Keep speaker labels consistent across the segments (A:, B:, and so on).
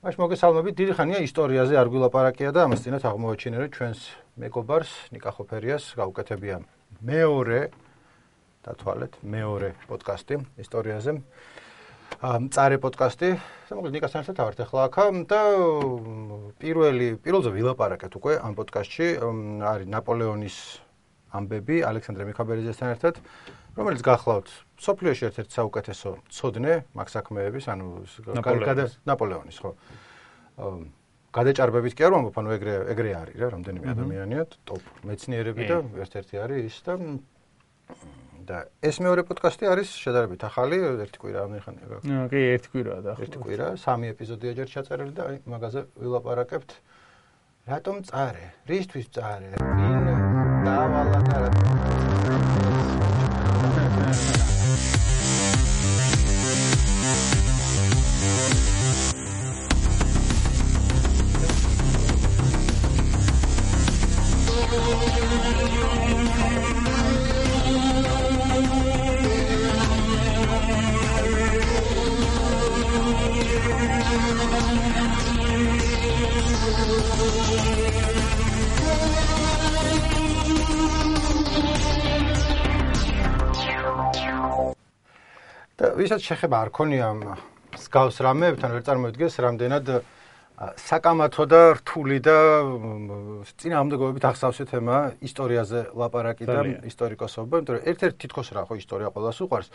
A: მაშ მოგესალმებით, დიდი ხანია ისტორიაზე არ გვილაპარაკია და ამას წინათ აღმოაჩინე, რომ ჩვენს მეგობარს ნიკა ხოფერიას გაუკეთებია მეორე პოდკასტი ისტორიაზე. მწარე პოდკასტი, მოკლედ ნიკასთან ერთად ვართ ახლა აქ და პირველზე ვილაპარაკეთ უკვე ამ პოდკასტში არის ნაპოლეონის ამბები ალექსანდრე მიქაბერიძესთან ერთად, რომელიც გახლავთ სოფლიოში ერთ-ერთი საუკეთესო ცოდნე მაგ საქმეების, ანუ ნაპოლეონის, ხო. გადაჭარბებით კი არ ვამბობ, ანუ ეგრე არის რა, რამდენიმე ადამიანია, ტოპ მეცნიერები და ერთ-ერთი არის ის და ეს მეორე პოდკასტი არის შედარებით ახალი, ერთი კვირა ამიხანია გაქვს.
B: კი, ერთი კვირაა და
A: ერთი კვირა, 3 ეპიზოდია ჯერ ჩაწერილი და მაგაზე ვილაპარაკებთ. რატომ მწარე? რისთვის მწარე? ვინ დაავალა და ვისაც შეხება არ ქონია მსგავს რამეებთან, ვერ წარმოიდგენს რამდენად საკამათო და რთული და წინააღმდეგობებით ახსავსე თემა ისტორიაზე ლაპარაკი და ისტორიკოსობა, იმიტომ რომ ერთ-ერთი თითქოს რა ხო ისტორია ყველას უყვარს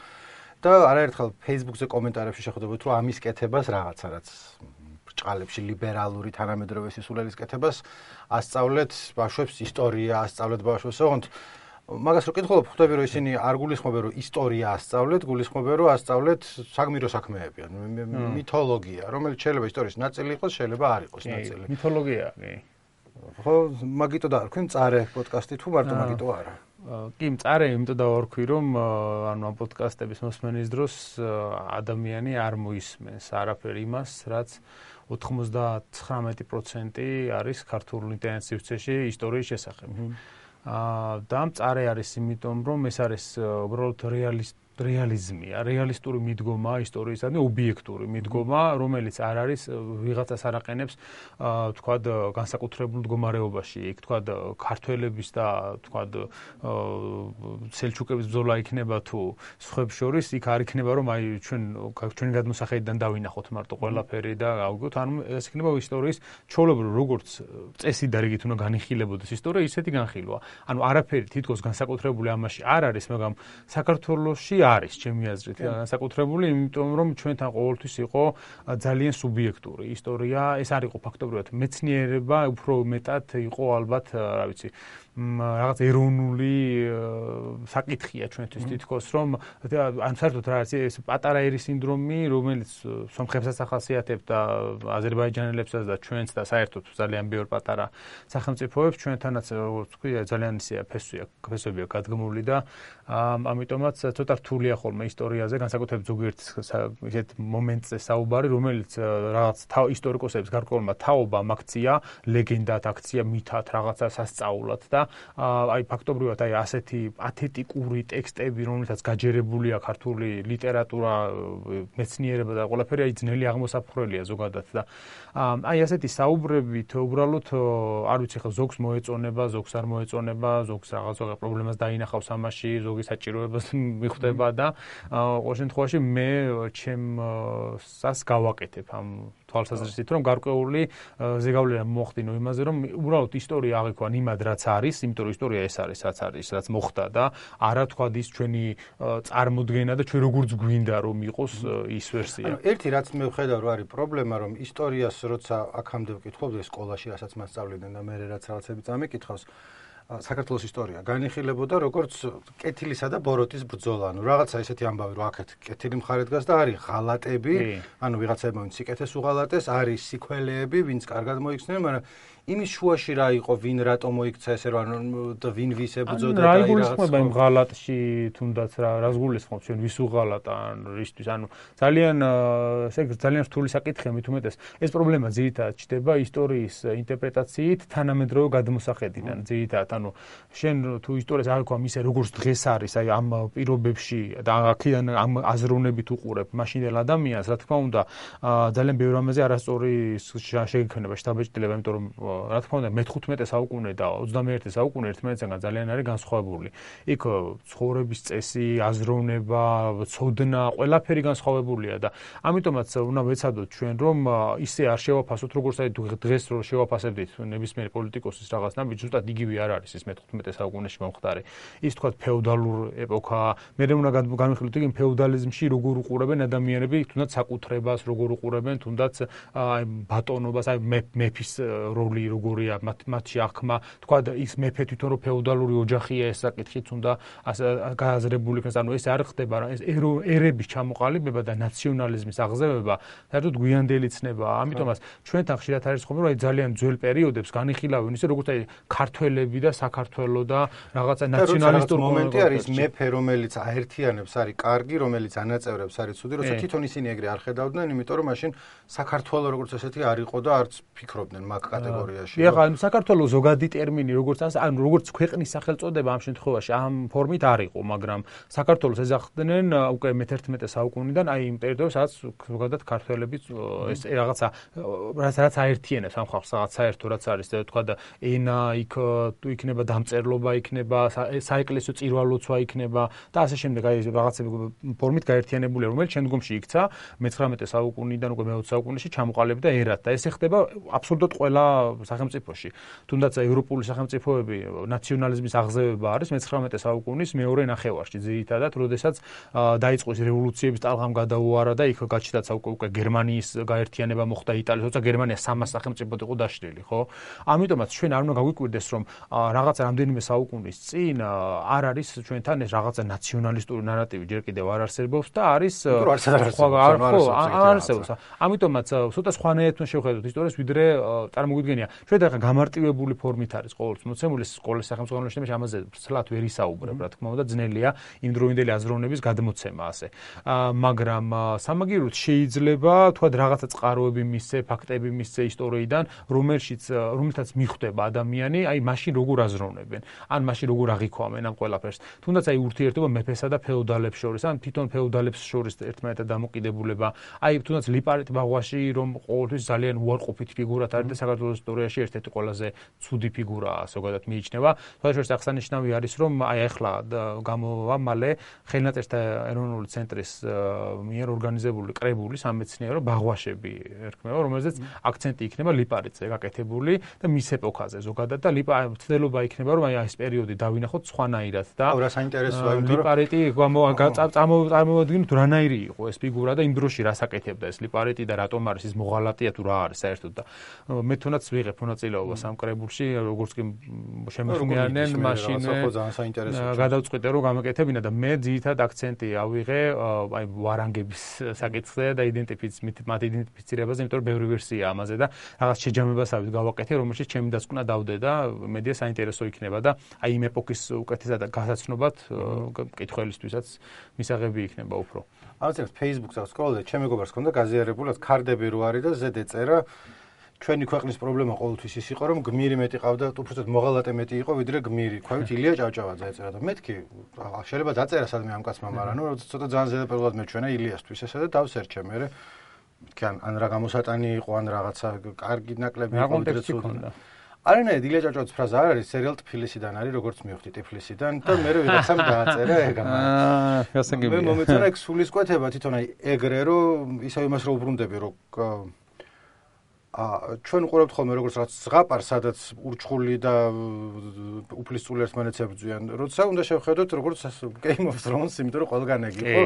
A: და არაერთხელ Facebook-ზე კომენტარებში შეხვდებოდით, რომ ამის კეთებას რაღაცა რაც ბრჭყალებში ლიბერალური თანამედროვე სისულელის კეთებას ასწავლეთ ბავშვებს ისტორია, ასწავლეთ ბავშვებს ოღონდ მაგას რო კითხულობ, ხვდები რომ ისინი არ გულისხმობენ რომ ისტორია ასწავლეთ, გულისხმობენ რომ ასწავლეთ საგმირო საქმეები, ანუ მითოლოგია, რომელიც შეიძლება ისტორიის ნაწილი იყოს, შეიძლება არ იყოს ნაწილი.
B: მითოლოგია, კი.
A: ხო, მაგიტო დაარქვი მწარე პოდკასტი თუ მარტო მაგიტო არა?
B: კი, მწარე იმიტომ დავარქვი, რომ ანუ ამ პოდკასტების მოსმენის დროს ადამიანი არ მოისმენს არაფერ იმას, რაც 99% არის ქართულ ინტერნეტ-სივრცეში ისტორიის შესახებ. და მწარე არის იმიტომ, რომ ეს არის უბრალოდ რეალიზმია, რეალისტური მიდგომა ისტორიის, ანუ ობიექტური მიდგომა, რომელიც არ არის ვიღაცას არაყენებს, თქვად, განსაკუთრებულ მდგომარეობაში, იქ თქვად, ქართველების და თქვად, სელჩუკების ბრძოლა იქნება თუ სხვებს შორის, იქ არ იქნება, რომ აი ჩვენი გადმოსახედიდან დავინახოთ მარტო ყველაფერი და გავიგოთ, ანუ ეს იქნება ისტორიის ჩვეულებრივ როგორც წესი და რიგით უნდა განიხილებოდეს ისტორია, ისეთი განხილვა. ანუ არაფერი თითქოს განსაკუთრებული ამაში არ არის, მაგრამ საქართველოში არის ჩემი აზრით განსაკუთრებული, იმიტომ რომ ჩვენთან ყოველთვის იყო ძალიან სუბიექტური ისტორია, ეს არ იყო ფაქტობრივად მეცნიერება, უფრო მეტად იყო ალბათ, რა ვიცი, რაღაც ეროვნული საკითხია ჩვენთვის თითქოს, რომ ან საერთოდ რა არის ეს პატარა ერის სინდრომი, რომელიც სომხებსაც ახასიათებთ და აზერბაიჯანელებსაც და ჩვენს და საერთოდ ძალიან ბევრ პატარა სახელმწიფოებს ჩვენთანაც თქვი ძალიან ისეა ფესვებია გადგმული და ამიტომაც ცოტა რთულია ხოლმე ისტორიაზე, განსაკუთრებით ზოგიერთ ისეთ მომენტზე საუბარი, რომელიც რაღაც ისტორიკოსების გარკვეულმა თაობამ აქცია, ლეგენდად აქცია, მითად რაღაცა სასწაულად და აი ფაქტობრივად აი ასეთი პათეტიკური ტექსტები, რომელთაც გაჯერებულია ქართული ლიტერატურა, მეცნიერება და ყველაფერი აი ძნელი აღმოსაფხრელია ზოგადად და აი ასეთი საუბრებით უბრალოდ არ ვიცი ხო ზოგს მოეწონება, ზოგს არ მოეწონება, ზოგს რაღაც პრობლემას დაინახავს ამაში, ზოგი საჭიროებას მიხვდება და ყოველ შემთხვევაში მე ჩემს გავაკეთებ ამ თვალსაზრისით, რომ გარკვეული ზეგავლენა მოხდინო იმაზე, რომ უბრალოდ ისტორია აღიქვან იმად, რაც არის, იმიტომ რომ ისტორია ეს არის, რაც მოხდა და არა თქვა ის ჩვენი წარმოდგენა და ჩვენ როგორც გვინდა რომ იყოს ის ვერსია.
A: ანუ ერთი რაც მე ვხედავ რომ არის პრობლემა, რომ ისტორიას როცა აქამდე ვკითხავდი სკოლაში, რასაც მასწავლდნენ და მე რაც რაღაცები წამიკითხავს, საქართველოს ისტორია განიხილებოდა როგორც კეთილისა და ბოროტის ბრძოლა. ანუ რაღაცა ესეთი ამბავი რომ აქეთ კეთილი მხარე დგას და არის ღალატები, ანუ ვიღაცაებმა ვინც სიკეთეს უღალატეს, არის სიქველეები, ვინც კარგად მოიქცნენ, მაგრამ იმის შუაში რა იყო, ვინ რატომ მოიქცა ესე რა და ვინ ვის ებრძოდა
B: და აი რაღაცა იმ ღალატში თუნდაც რას გულისხმობ ჩვენ ვის უღალატა ან რისთვის ანუ ძალიან ესე ძალიან რთული საკითხია მით უმეტეს ეს პრობლემა ძირითადად ჩდება ისტორიის ინტერპრეტაციით თანამედროვე გადმოსახედიდან ძირითადად ანუ შენ თუ ისტორიას არ გვამ ისე როგორც დღეს არის აი ამ პირობებში და აქედან ამ აზროვნებით უყურებ მაშინდელ ადამიანს რა თქმა უნდა ძალიან ბევრ რამეზე არასწორი შეგექნება შთაბეჭდილება იმიტომ რომ რა თქმა უნდა მე-15 საუკუნე და 21 საუკუნე ერთმანეთისგან ძალიან არის განსხვავებული. იქ ცხოვრების წესი, აზროვნება, ცოდნა, ყველაფერი განსხვავებულია და ამიტომაც უნდა ვეცადოთ ჩვენ რომ ისე არ შევაფასოთ როგორც აი დღეს რო შევაფასებდით ნებისმიერ პოლიტიკოსის რაღაც ნაბიჯს, ზუსტად იგივე არ არის ეს მე-15 საუკუნეში მომხდარი. ის თქვა ფეოდალურ ეპოქა, მე უნდა განვიხილოთ იგი ფეოდალიზმში როგორ უყურებენ ადამიანები თუნდაც საკუთრებას, როგორ უყურებენ თუნდაც აი ბატონობას, აი მეფის როლი როგორია მათში აღქმა თქვა ის მეფე თვითონ რო ფეოდალური ოჯახია ეს საკითხიც უნდა გააზრებული იქნას ანუ ეს არ ხდება ეს ერების ჩამოყალიბება და ნაციონალიზმის აღზევება საერთოდ გვიანდელი ცნებაა ამიტომაც ჩვენთან ხშირად არის ხომ რომ აი ძალიან ძველ პერიოდებს განიხილავენ ისე როგორც აი ქართველები და საქართველო და რაღაცა ნაციონალისტური
A: მომენტი არის მეფე რომელიც აერთიანებს არის კარგი რომელიც ანაწევრებს არის ცუდი როცა თვითონ ისინი ეგრე არ ხედავდნენ იმიტომ რომ მაშინ საქართველო როგორც ესეთი არ იყო და არც ფიქრობდნენ მაგ კატეგორიაში
B: ეხლა საქართველოს ზოგადი ტერმინი როგორც ანუ როგორც ქვეყნის სახელწოდება ამ შემთხვევაში ამ ფორმით არ იყო, მაგრამ საქართველოს ეძახდნენ უკვე მე-11 საუკუნიდან აი იმ ტერიტორიას სადაც ზოგადად ქართველები ეს რაღაცა რაც აერთიანებს ამ ხალხს რაღაც საერთო რაც არის თქვა და ენა იქ თუ იქნება დამწერლობა იქნება საეკლესიო წირვა-ლოცვა იქნება და ასე შემდეგ აი რაღაცები ფორმით გაერთიანებული რომელიც შემდგომში იქცა მე-19 საუკუნიდან უკვე მე-20 საუკუნეში ჩამოყალიბდა ერად და ესე ხდება აბსოლუტურად ყველა სახელმწიფოში თუნდაც ევროპული სახელმწიფოები ნაციონალიზმის აღზევება არის მე-19 საუკუნის მეორე ნახევარში ძირითადად, როდესაც დაიწყო ის რევოლუციების ტალღამ გადაუარა და იქ გაჩნდა უკვე გერმანიის გაერთიანება მოხდა იტალიის, თორსა გერმანია 300 სახელმწიფოდ იყო დაშლილი, ხო? ამიტომაც ჩვენ არ უნდა გაგვიკვირდეს, რომ რაღაცა რამდენიმე საუკუნის წინ არ არის ჩვენთან ეს რაღაცა ნაციონალისტური ნარატივი ჯერ კიდევ არ არსებობს და არის არსებობს. ამიტომაც ცოტა სხვანაირად უნდა შევხედოთ ისტორიას, ვიდრე წარმოგვიდგენია. ჩვენ ახლა გამარტივებული ფორმით არის ყოველთვის მოცემული სკოლის სახელმწიფო უნივერსიტეტში ამაზე ცლად ვერ ისაუბრებ, რა თქმა უნდა, ძნელია იმ დროინდელი აზროვნების გადმოცემა ასე. მაგრამ სამაგიეროდ შეიძლება თქვა რაღაცა წყაროები მისცე, ფაქტები მისცე ისტორიიდან, რომელთაც მიხვდება ადამიანი, აი მაშინ როგორ აზროვნებენ, ან მაშინ როგორ აღიქვამენ ამ ყველაფერს. თუნდაც აი ურთიერთობა მეფესა და ფეოდალებს შორის, ან თვითონ ფეოდალებს შორის ერთმანეთთან დამოკიდებულება, აი თუნდაც ლიპარიტ ბაღვაში რომ ყოველთვის ძალიან უარყოფითი ფიგურად არის და საქართველოს ისტორიაში ერთ-ერთი ყველაზე ცუდი ფიგურაა, ზოგადად მიიჩნევა. თვალშორის აღსანიშნავი არის, რომ აი ახლა გამოვა მალე ხელნაწერთა ეროვნული ცენტრის მიერ ორგანიზებული კრებული სამეცნიერო ბაღვაშები ერქმევა, რომელზეც აქცენტი იქნება ლიპარიტზე გაკეთებული და მის ეპოქაზე ზოგადად და ცდელობა იქნება, რომ აი ეს პერიოდი დავინახოთ სხვანაირად და
A: რა საინტერესოა, იმიტომ რომ
B: ლიპარიტი წარმოვადგინოთ რანაირი იყო ეს ფიგურა და იმ დროში რას აკეთებდა ეს ლიპარიტი და რატომ არის ის მოღალატეა თუ რა არის საერთოდ და მე თუნდაც ვიღებ მონაწილეობას ამ კრებულში, როგორც კი შემეხმიანენ მაშინ გადავწყვიტე რომ გამეკეთებინა და მე ძირითადად აქცენტი ავიღე აი ვარანგების საკითხზე და მათ იდენტიფიცირებაზე, იმიტომ რომ ბევრი ვერსია ამაზე და რაღაც შეჯამებასავით გავაკეთე, რომელშიც ჩემი დასკვნა დავდე და მედია საინტერესო იქნება და აი იმ ეპოქის უკეთესად გასაცნობად მკითხველისთვისაც მისაღები იქნება უფრო.
A: ამას Facebook-ზე ვსკროლობდი, ჩემი მეგობარს ჰქონდა გაზიარებულად ქარდები რო არის და ზედ ეწერა ჩვენი ქვეყნის პრობლემა ყოველთვის ის იყო, რომ გმირი მეტი ყავდა, უბრალოდ მოღალატე მეტი იყო, ვიდრე გმირი. ქვევით ილია ჭავჭავაძე ეწერა და მეთქი შეიძლება დაწერა სადმე ამ კაცმა, მაგრამ ნუ ცოტა ძალიან ზედაპირულად მეჩვენა ილიასთვის ესა და დავსერჩე მე. მეთქი ან რა გამოსატანი იყო, ან რაღაცა კარგი ნაკლები იყო, ვიდრე ცუდი. არანაირად ილია ჭავჭავაძის ფრაზა არ არის, სერიალ ტფილისიდან არის, როგორც მივხვდი ტიფლისიდან და მე ვიღაცამ დააწერა ეგ ამას.
B: გასაგებია.
A: მე მომეწონა ეგ სულისკვეთება თვითონ აი ეგრე რომ ისევ იმას რო უბრუნდები, რომ ჩვენ უყურებთ ხოლმე როგორც რაღაც ზღაპარს, სადაც ურჩხული და უფლისწული ერთმანეთს ებრძვიან. როცა უნდა შევხედოთ როგორც Game of Thrones, იმიტომ რომ ყველგან ეგ იყო.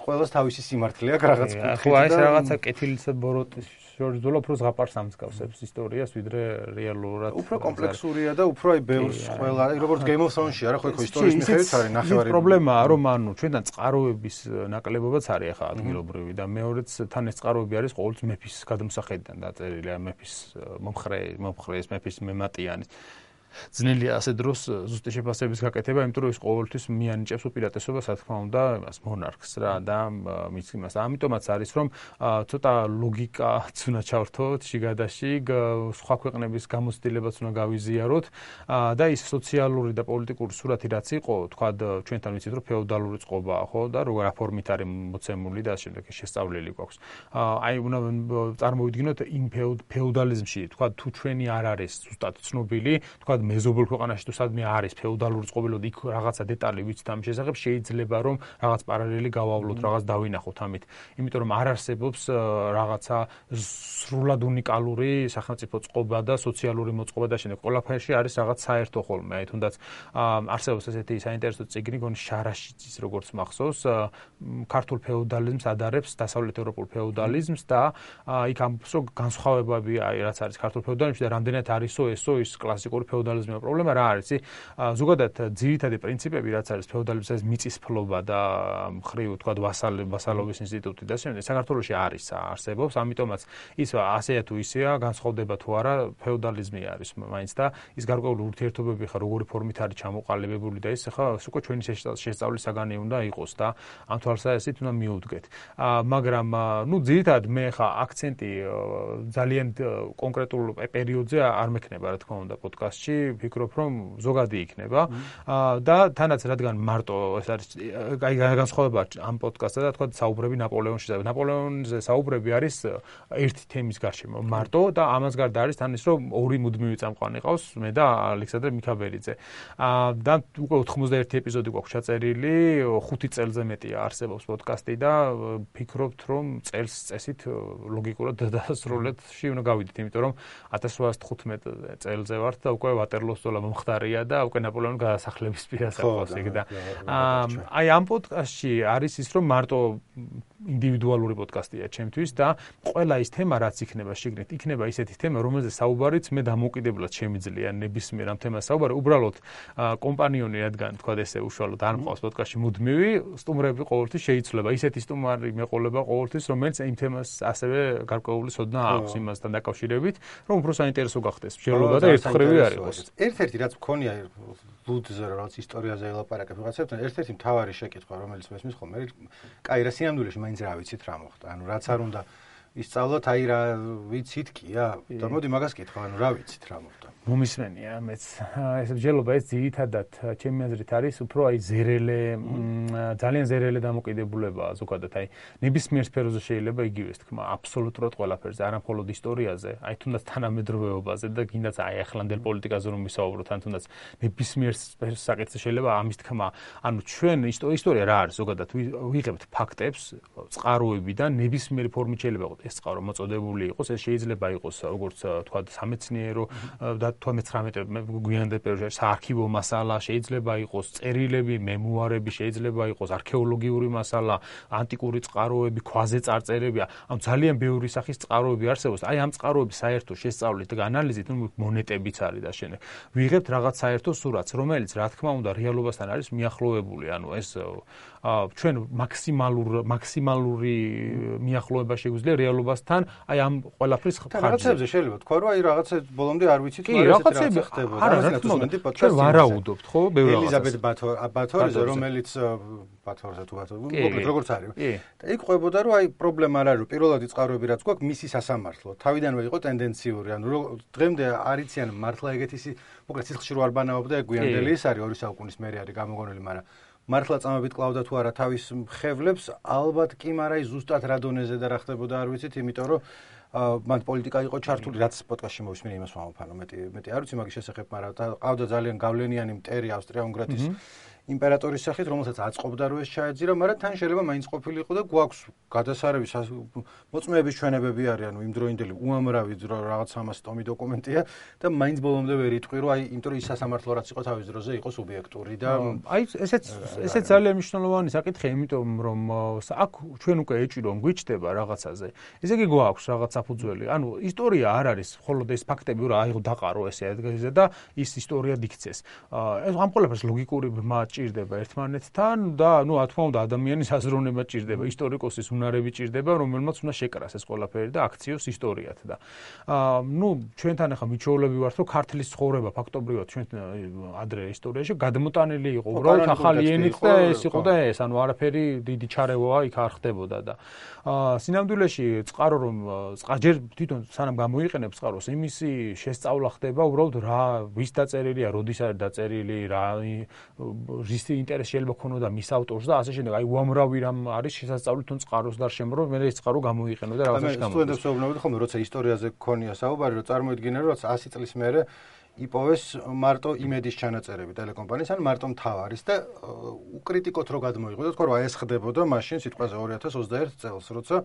A: ყველას თავისი სიმართლე აქვს რაღაც კუთხით.
B: ხო, ეს რაღაცა კეთილის ბოროტის შორის ძოლა უფრო ზღაპარს ამსგავსებს ისტორიას, ვიდრე რეალურად.
A: უფრო კომპლექსურია და უფრო აი ბევრს ყველა, როგორც Game of Thrones-ში არა ხო ისტორიის მიხედვით არის ნახევარი.
B: პრობლემაა, რომ ანუ ჩვენთან წყაროების ნაკლებობაც არის ახლა ადგილობრივი და მეორეც თან ეს წყაროები არის ყოველთვის მეფის გადამსახედიდან დაწერილი, მეფის მომხრე მეფის მემატიანის. ძნელია ასე დროს ზუსტი შეფასების გაკეთება, იმიტომ რომ ის ყოველთვის მიანიჭებს უპირატესობას, რა თქმა უნდა, იმას მონარქს რა და მის იმას. ამიტომაც არის რომ ცოტა ლოგიკაც უნდა ჩავრთოთ შიგადაშიგ, სხვა ქვეყნების გამოცდილებაც უნდა გავიზიაროთ და ის სოციალური და პოლიტიკური სურათი რაც იყო, თქვა ჩვენთან ვიცით რომ ფეოდალური წყობაა, ხო და როგორ ფორმით არის მოცემული და ასე შემდეგ შესწავლილი გვაქვს. აი უნდა წარმოვიდგინოთ იმ ფეოდალიზმში, თქვა თუ ჩვენი არ არის ზუსტად ცნობილი, თქვა მეზობელ ქვეყანაში თუ სადმე არის ფეოდალური წყობილობა, იქ რაღაცა დეტალი ვიცით ამ შესახებ, შეიძლება რომ რაღაც პარალელი გავავლოთ, რაღაც დავინახოთ ამით. იმიტომ რომ არ არსებობს რაღაცა სრულად უნიკალური სახელმწიფო წყობა და სოციალური მოწყობა და შემდეგ ყველაფერში არის რაღაც საერთო ხოლმე. აი თუნდაც არსებობს ესეთი საინტერესო წიგნი, გონი შარაშიძის როგორც მახსოვს, ქართულ ფეოდალიზმს ადარებს დასავლეთ ევროპულ ფეოდალიზმს და იქ ამბობს რომ განსხვავებები რაც არის ქართულ ფეოდალიზმში და რამდენად არისო ესო ის კლასიკური ფეოდალიზმის პრობლემა რა არის? ზოგადად ძირითადი პრინციპები რაც არის ფეოდალიზმის ეს მიწისფლობა და მხრივ თქვა ვასალობის ინსტიტუტი და შემდეგ საქართველოში არის არსებობს, ამიტომაც ის ასეა თუ ისეა განსხვავდება თუ არა ფეოდალიზმი არის მაინც და ის გარკვეული ურთიერთობები ხა როგორი ფორმით არის ჩამოყალიბებული და ის ხა უკვე ჩვენი შესწავლის საგანი უნდა იყოს და ამ თვალსაზრისით უნდა მიუდგეთ. მაგრამ ნუ ძირითადად მე ხა აქცენტი ძალიან კონკრეტულ პერიოდზე არ მექნება რა თქმა უნდა პოდკასტში, ვფიქრობ რომ ზოგადი იქნება და თანაც რადგან მარტო ეს არის აი განსხვავება ამ პოდკასტსა და თქვა საუბრები ნაპოლეონში. ნაპოლეონზე საუბრები არის ერთი თემის გარშემო მარტო და ამას გარდა არის თან ის რომ ორი მუდმივი წამყვანი ყავს, მე და ალექსანდრე მიქაბერიძე. და უკვე 91 ეპიზოდი გვაქვს ჩაწერილი, 5 წელზე მეტია არსებობს პოდკასტი და ვფიქრობთ რომ წელს წესით ლოგიკურად დასრულებაში უნდა გავიდეთ, იმიტომ რომ 1815 წელზე ვართ და უკვე ვატერლოს ბრძოლა მომხდარია და უკვე ნაპოლეონის გადასახლების პირას აქვს ეგ და აი ამ პოდკასტში არის ის რომ მარტო ინდივიდუალური პოდკასტია ჩემთვის და ყველა ის თემა რაც იქნება შეგნით იქნება ისეთი თემა რომელზე საუბარიც მე დამოუკიდებლად შემიძლია ნებისმიერ ამ თემას საუბარი უბრალოდ კომპანიონი რადგან თქვა ესე უშუალოდ არ მყავს პოდკასტში მუდმივი სტუმრები ყოველთვის შეიძლება ისეთი სტუმარი მეყოლება ყოველთვის რომელიც იმ თემას ასევე გარკვეული ცოდნა აქვს იმასთან დაკავშირებით რომ უფრო საინტერესო გახდეს მსჯელობა და ერთხმრივი არ იყოს
A: ერთ-ერთი რაც მქონია ბუდზე რაც ისტორიაზე ელაპარაკებ რაღაცებთან ერთ-ერთი მთავარი შეკითხვა რომელიც მესმის ხოლმე კაი რა სინამდვილეში მაინც რა ვიცით რა მოხდა ანუ რაც არ უნდა ისწავლოთ აი რა ვიცით კია და მოდი მაგას კითხვა ანუ რა ვიცით რა მოხდა
B: მომისმენია მეც ეს მსჯელობა ეს ძირითადად ჩემი აზრით არის უფრო აი ზერელე ძალიან ზერელე დამოკიდებულებაა ზოგადად აი ნებისმიერ სფეროზე შეიძლება იგივეს თქმა აბსოლუტურად ყველაფერზე არა მხოლოდ ისტორიაზე აი თუნდაც თანამედროვეობაზე და კიდაც აი ახლანდელ პოლიტიკაზე რომ ვისაუბროთ ან თუნდაც ნებისმიერ საკითხზე შეიძლება ამის თქმა ანუ ჩვენ ისტორია რა არის ზოგადად ვიღებთ ფაქტებს წყაროებიდან ნებისმიერი ფორმით შეიძლება იყოს ეს წყარო მოწოდებული იყოს ეს შეიძლება იყოს როგორც თქვა სამეცნიერო და თუ 19 გვიანდელ პერიოდში საარქივო მასალა შეიძლება იყოს წერილები, მემუარები შეიძლება იყოს არქეოლოგიური მასალა, ანტიკური წყაროები, ქვაზე წარწერები, ანუ ძალიან ბევრი სახის წყაროები არსებობს. აი ამ წყაროების საერთო შესწავლით და ანალიზით, ნუ მონეტებიც არის და შემდეგ ვიღებთ რაღაც საერთო სურათს, რომელიც რა თქმა უნდა რეალობასთან არის მიახლოვებული, ანუ ეს ჩვენ მაქსიმალური მიახლოება შეგვიძლია რეალობასთან, აი ამ ყველაფრის ხარჯზე.
A: რაღაცებზე შეიძლება თქვა რომ აი რაღაცა ბოლომდე არ ვიცით
B: რაღაცები არა რა თქმა უნდა ჩვენ ვარაუდობთ ხო ბევრი რაღაცას
A: ელიზაბეთ ბათორიზე რომელიც ბათორზე თუ მოკლედ როგორც არის და იქ ყვებოდა რომ აი პრობლემა არ არის რომ პირველადი წყაროები რაც გვაქვს მისი სასამართლო თავიდანვე იყო ტენდენციური ანუ დღემდე არიციან მართლა ეგეთის მოკლედ სიცხში რო არ ბანაობდა ეგ გვიანდელი ის არის 2 საუკუნის მერე არის გამოგონილი მაგრამ მართლა წამებით კლავდა თუ არა თავის ხევლებს ალბათ კი მაგრამ ზუსტად რა დონეზე და რა ხდებოდა არ ვიცით იმიტომ რომ მან პოლიტიკა იყო ჩართული რაც პოდკასტში მოვისმენე იმას ვამოფანო მეტი არ ვიცი მაგის შესახებ მაგრამ ყავდა ძალიან გავლენიანი მტერი ავსტრია-უნგრეთის იმპერატორის სახით, რომელსაც აწყობდა რომ ეს ჩაეძირა, მაგრამ თან შეიძლება მაინც ყოფილიყო და გვაქვს გადასარევი მოწმეების ჩვენებები არის, ანუ იმდროინდელი უამრავი რაღაც 300 ტომი დოკუმენტია და მაინც ბოლომდე ვერ იტყვი რომ აი იმიტომ ის სასამართლო რაც იყო თავის დროზე იყო სუბიექტური და
B: აი ესეც ძალიან მნიშვნელოვანი საკითხია, იმიტომ რომ აქ ჩვენ უკვე ეჭირო გვიჩდება რაღაცაზე. ესე იგი გვაქვს რაღაც საფუძველი. ანუ ისტორია არ არის მხოლოდ ეს ფაქტები, რომ აიღო დაყარო ესე და ის ისტორია დიქცეს. ამ ყველაფერს ლოგიკური ბმა ჭირდება ერთმანეთთან და რა თქმა უნდა ადამიანის აზროვნება ჭირდება, ისტორიკოსის უნარები ჭირდება, რომელმაც უნდა შეკრას ეს ყველაფერი და აქციოს ისტორიათ და ჩვენთან ახლა მიჩვეულები ვართ, რომ ქართლის ცხოვრება ფაქტობრივად ჩვენ ადრე ისტორიაში გადმოტანილი იყო, უბრალოდ ახალი ენით და ეს იყო და ეს, ანუ არაფერი დიდი ჩარევაა იქ არ ხდებოდა და სინამდვილეში წყარო რომ ჯერ თვითონ სანამ გამოიყენებს წყაროს, იმისი შესწავლა ხდება უბრალოდ რა ვის დაწერილია, როდის არის დაწერილი, რის ინტერესი შეიძლება ქონოდა მის ავტორს და ასე შემდეგ. აი უამრავი რამ არის შესაძლებელი თუნ წყაროს გარშემო, რომ მე ეს წყარო გამოიყენო და რაღაცაში გამოიყენო.
A: სტუდენტებს ვეუბნებოდი ხოლმე, როცა ისტორიაზე გქონია საუბარი, რომ წარმოიდგინე, რომ 100 წლის მერე იპოვეს მარტო იმედის ჩანაწერები ტელეკომპანიის ან მარტო მთავარის და უკრიტიკოთ რო გადმოიღო და თქვა რომ აი ეს ხდებოდა მაშინ სიტყვაზე 2021 წელს, როცა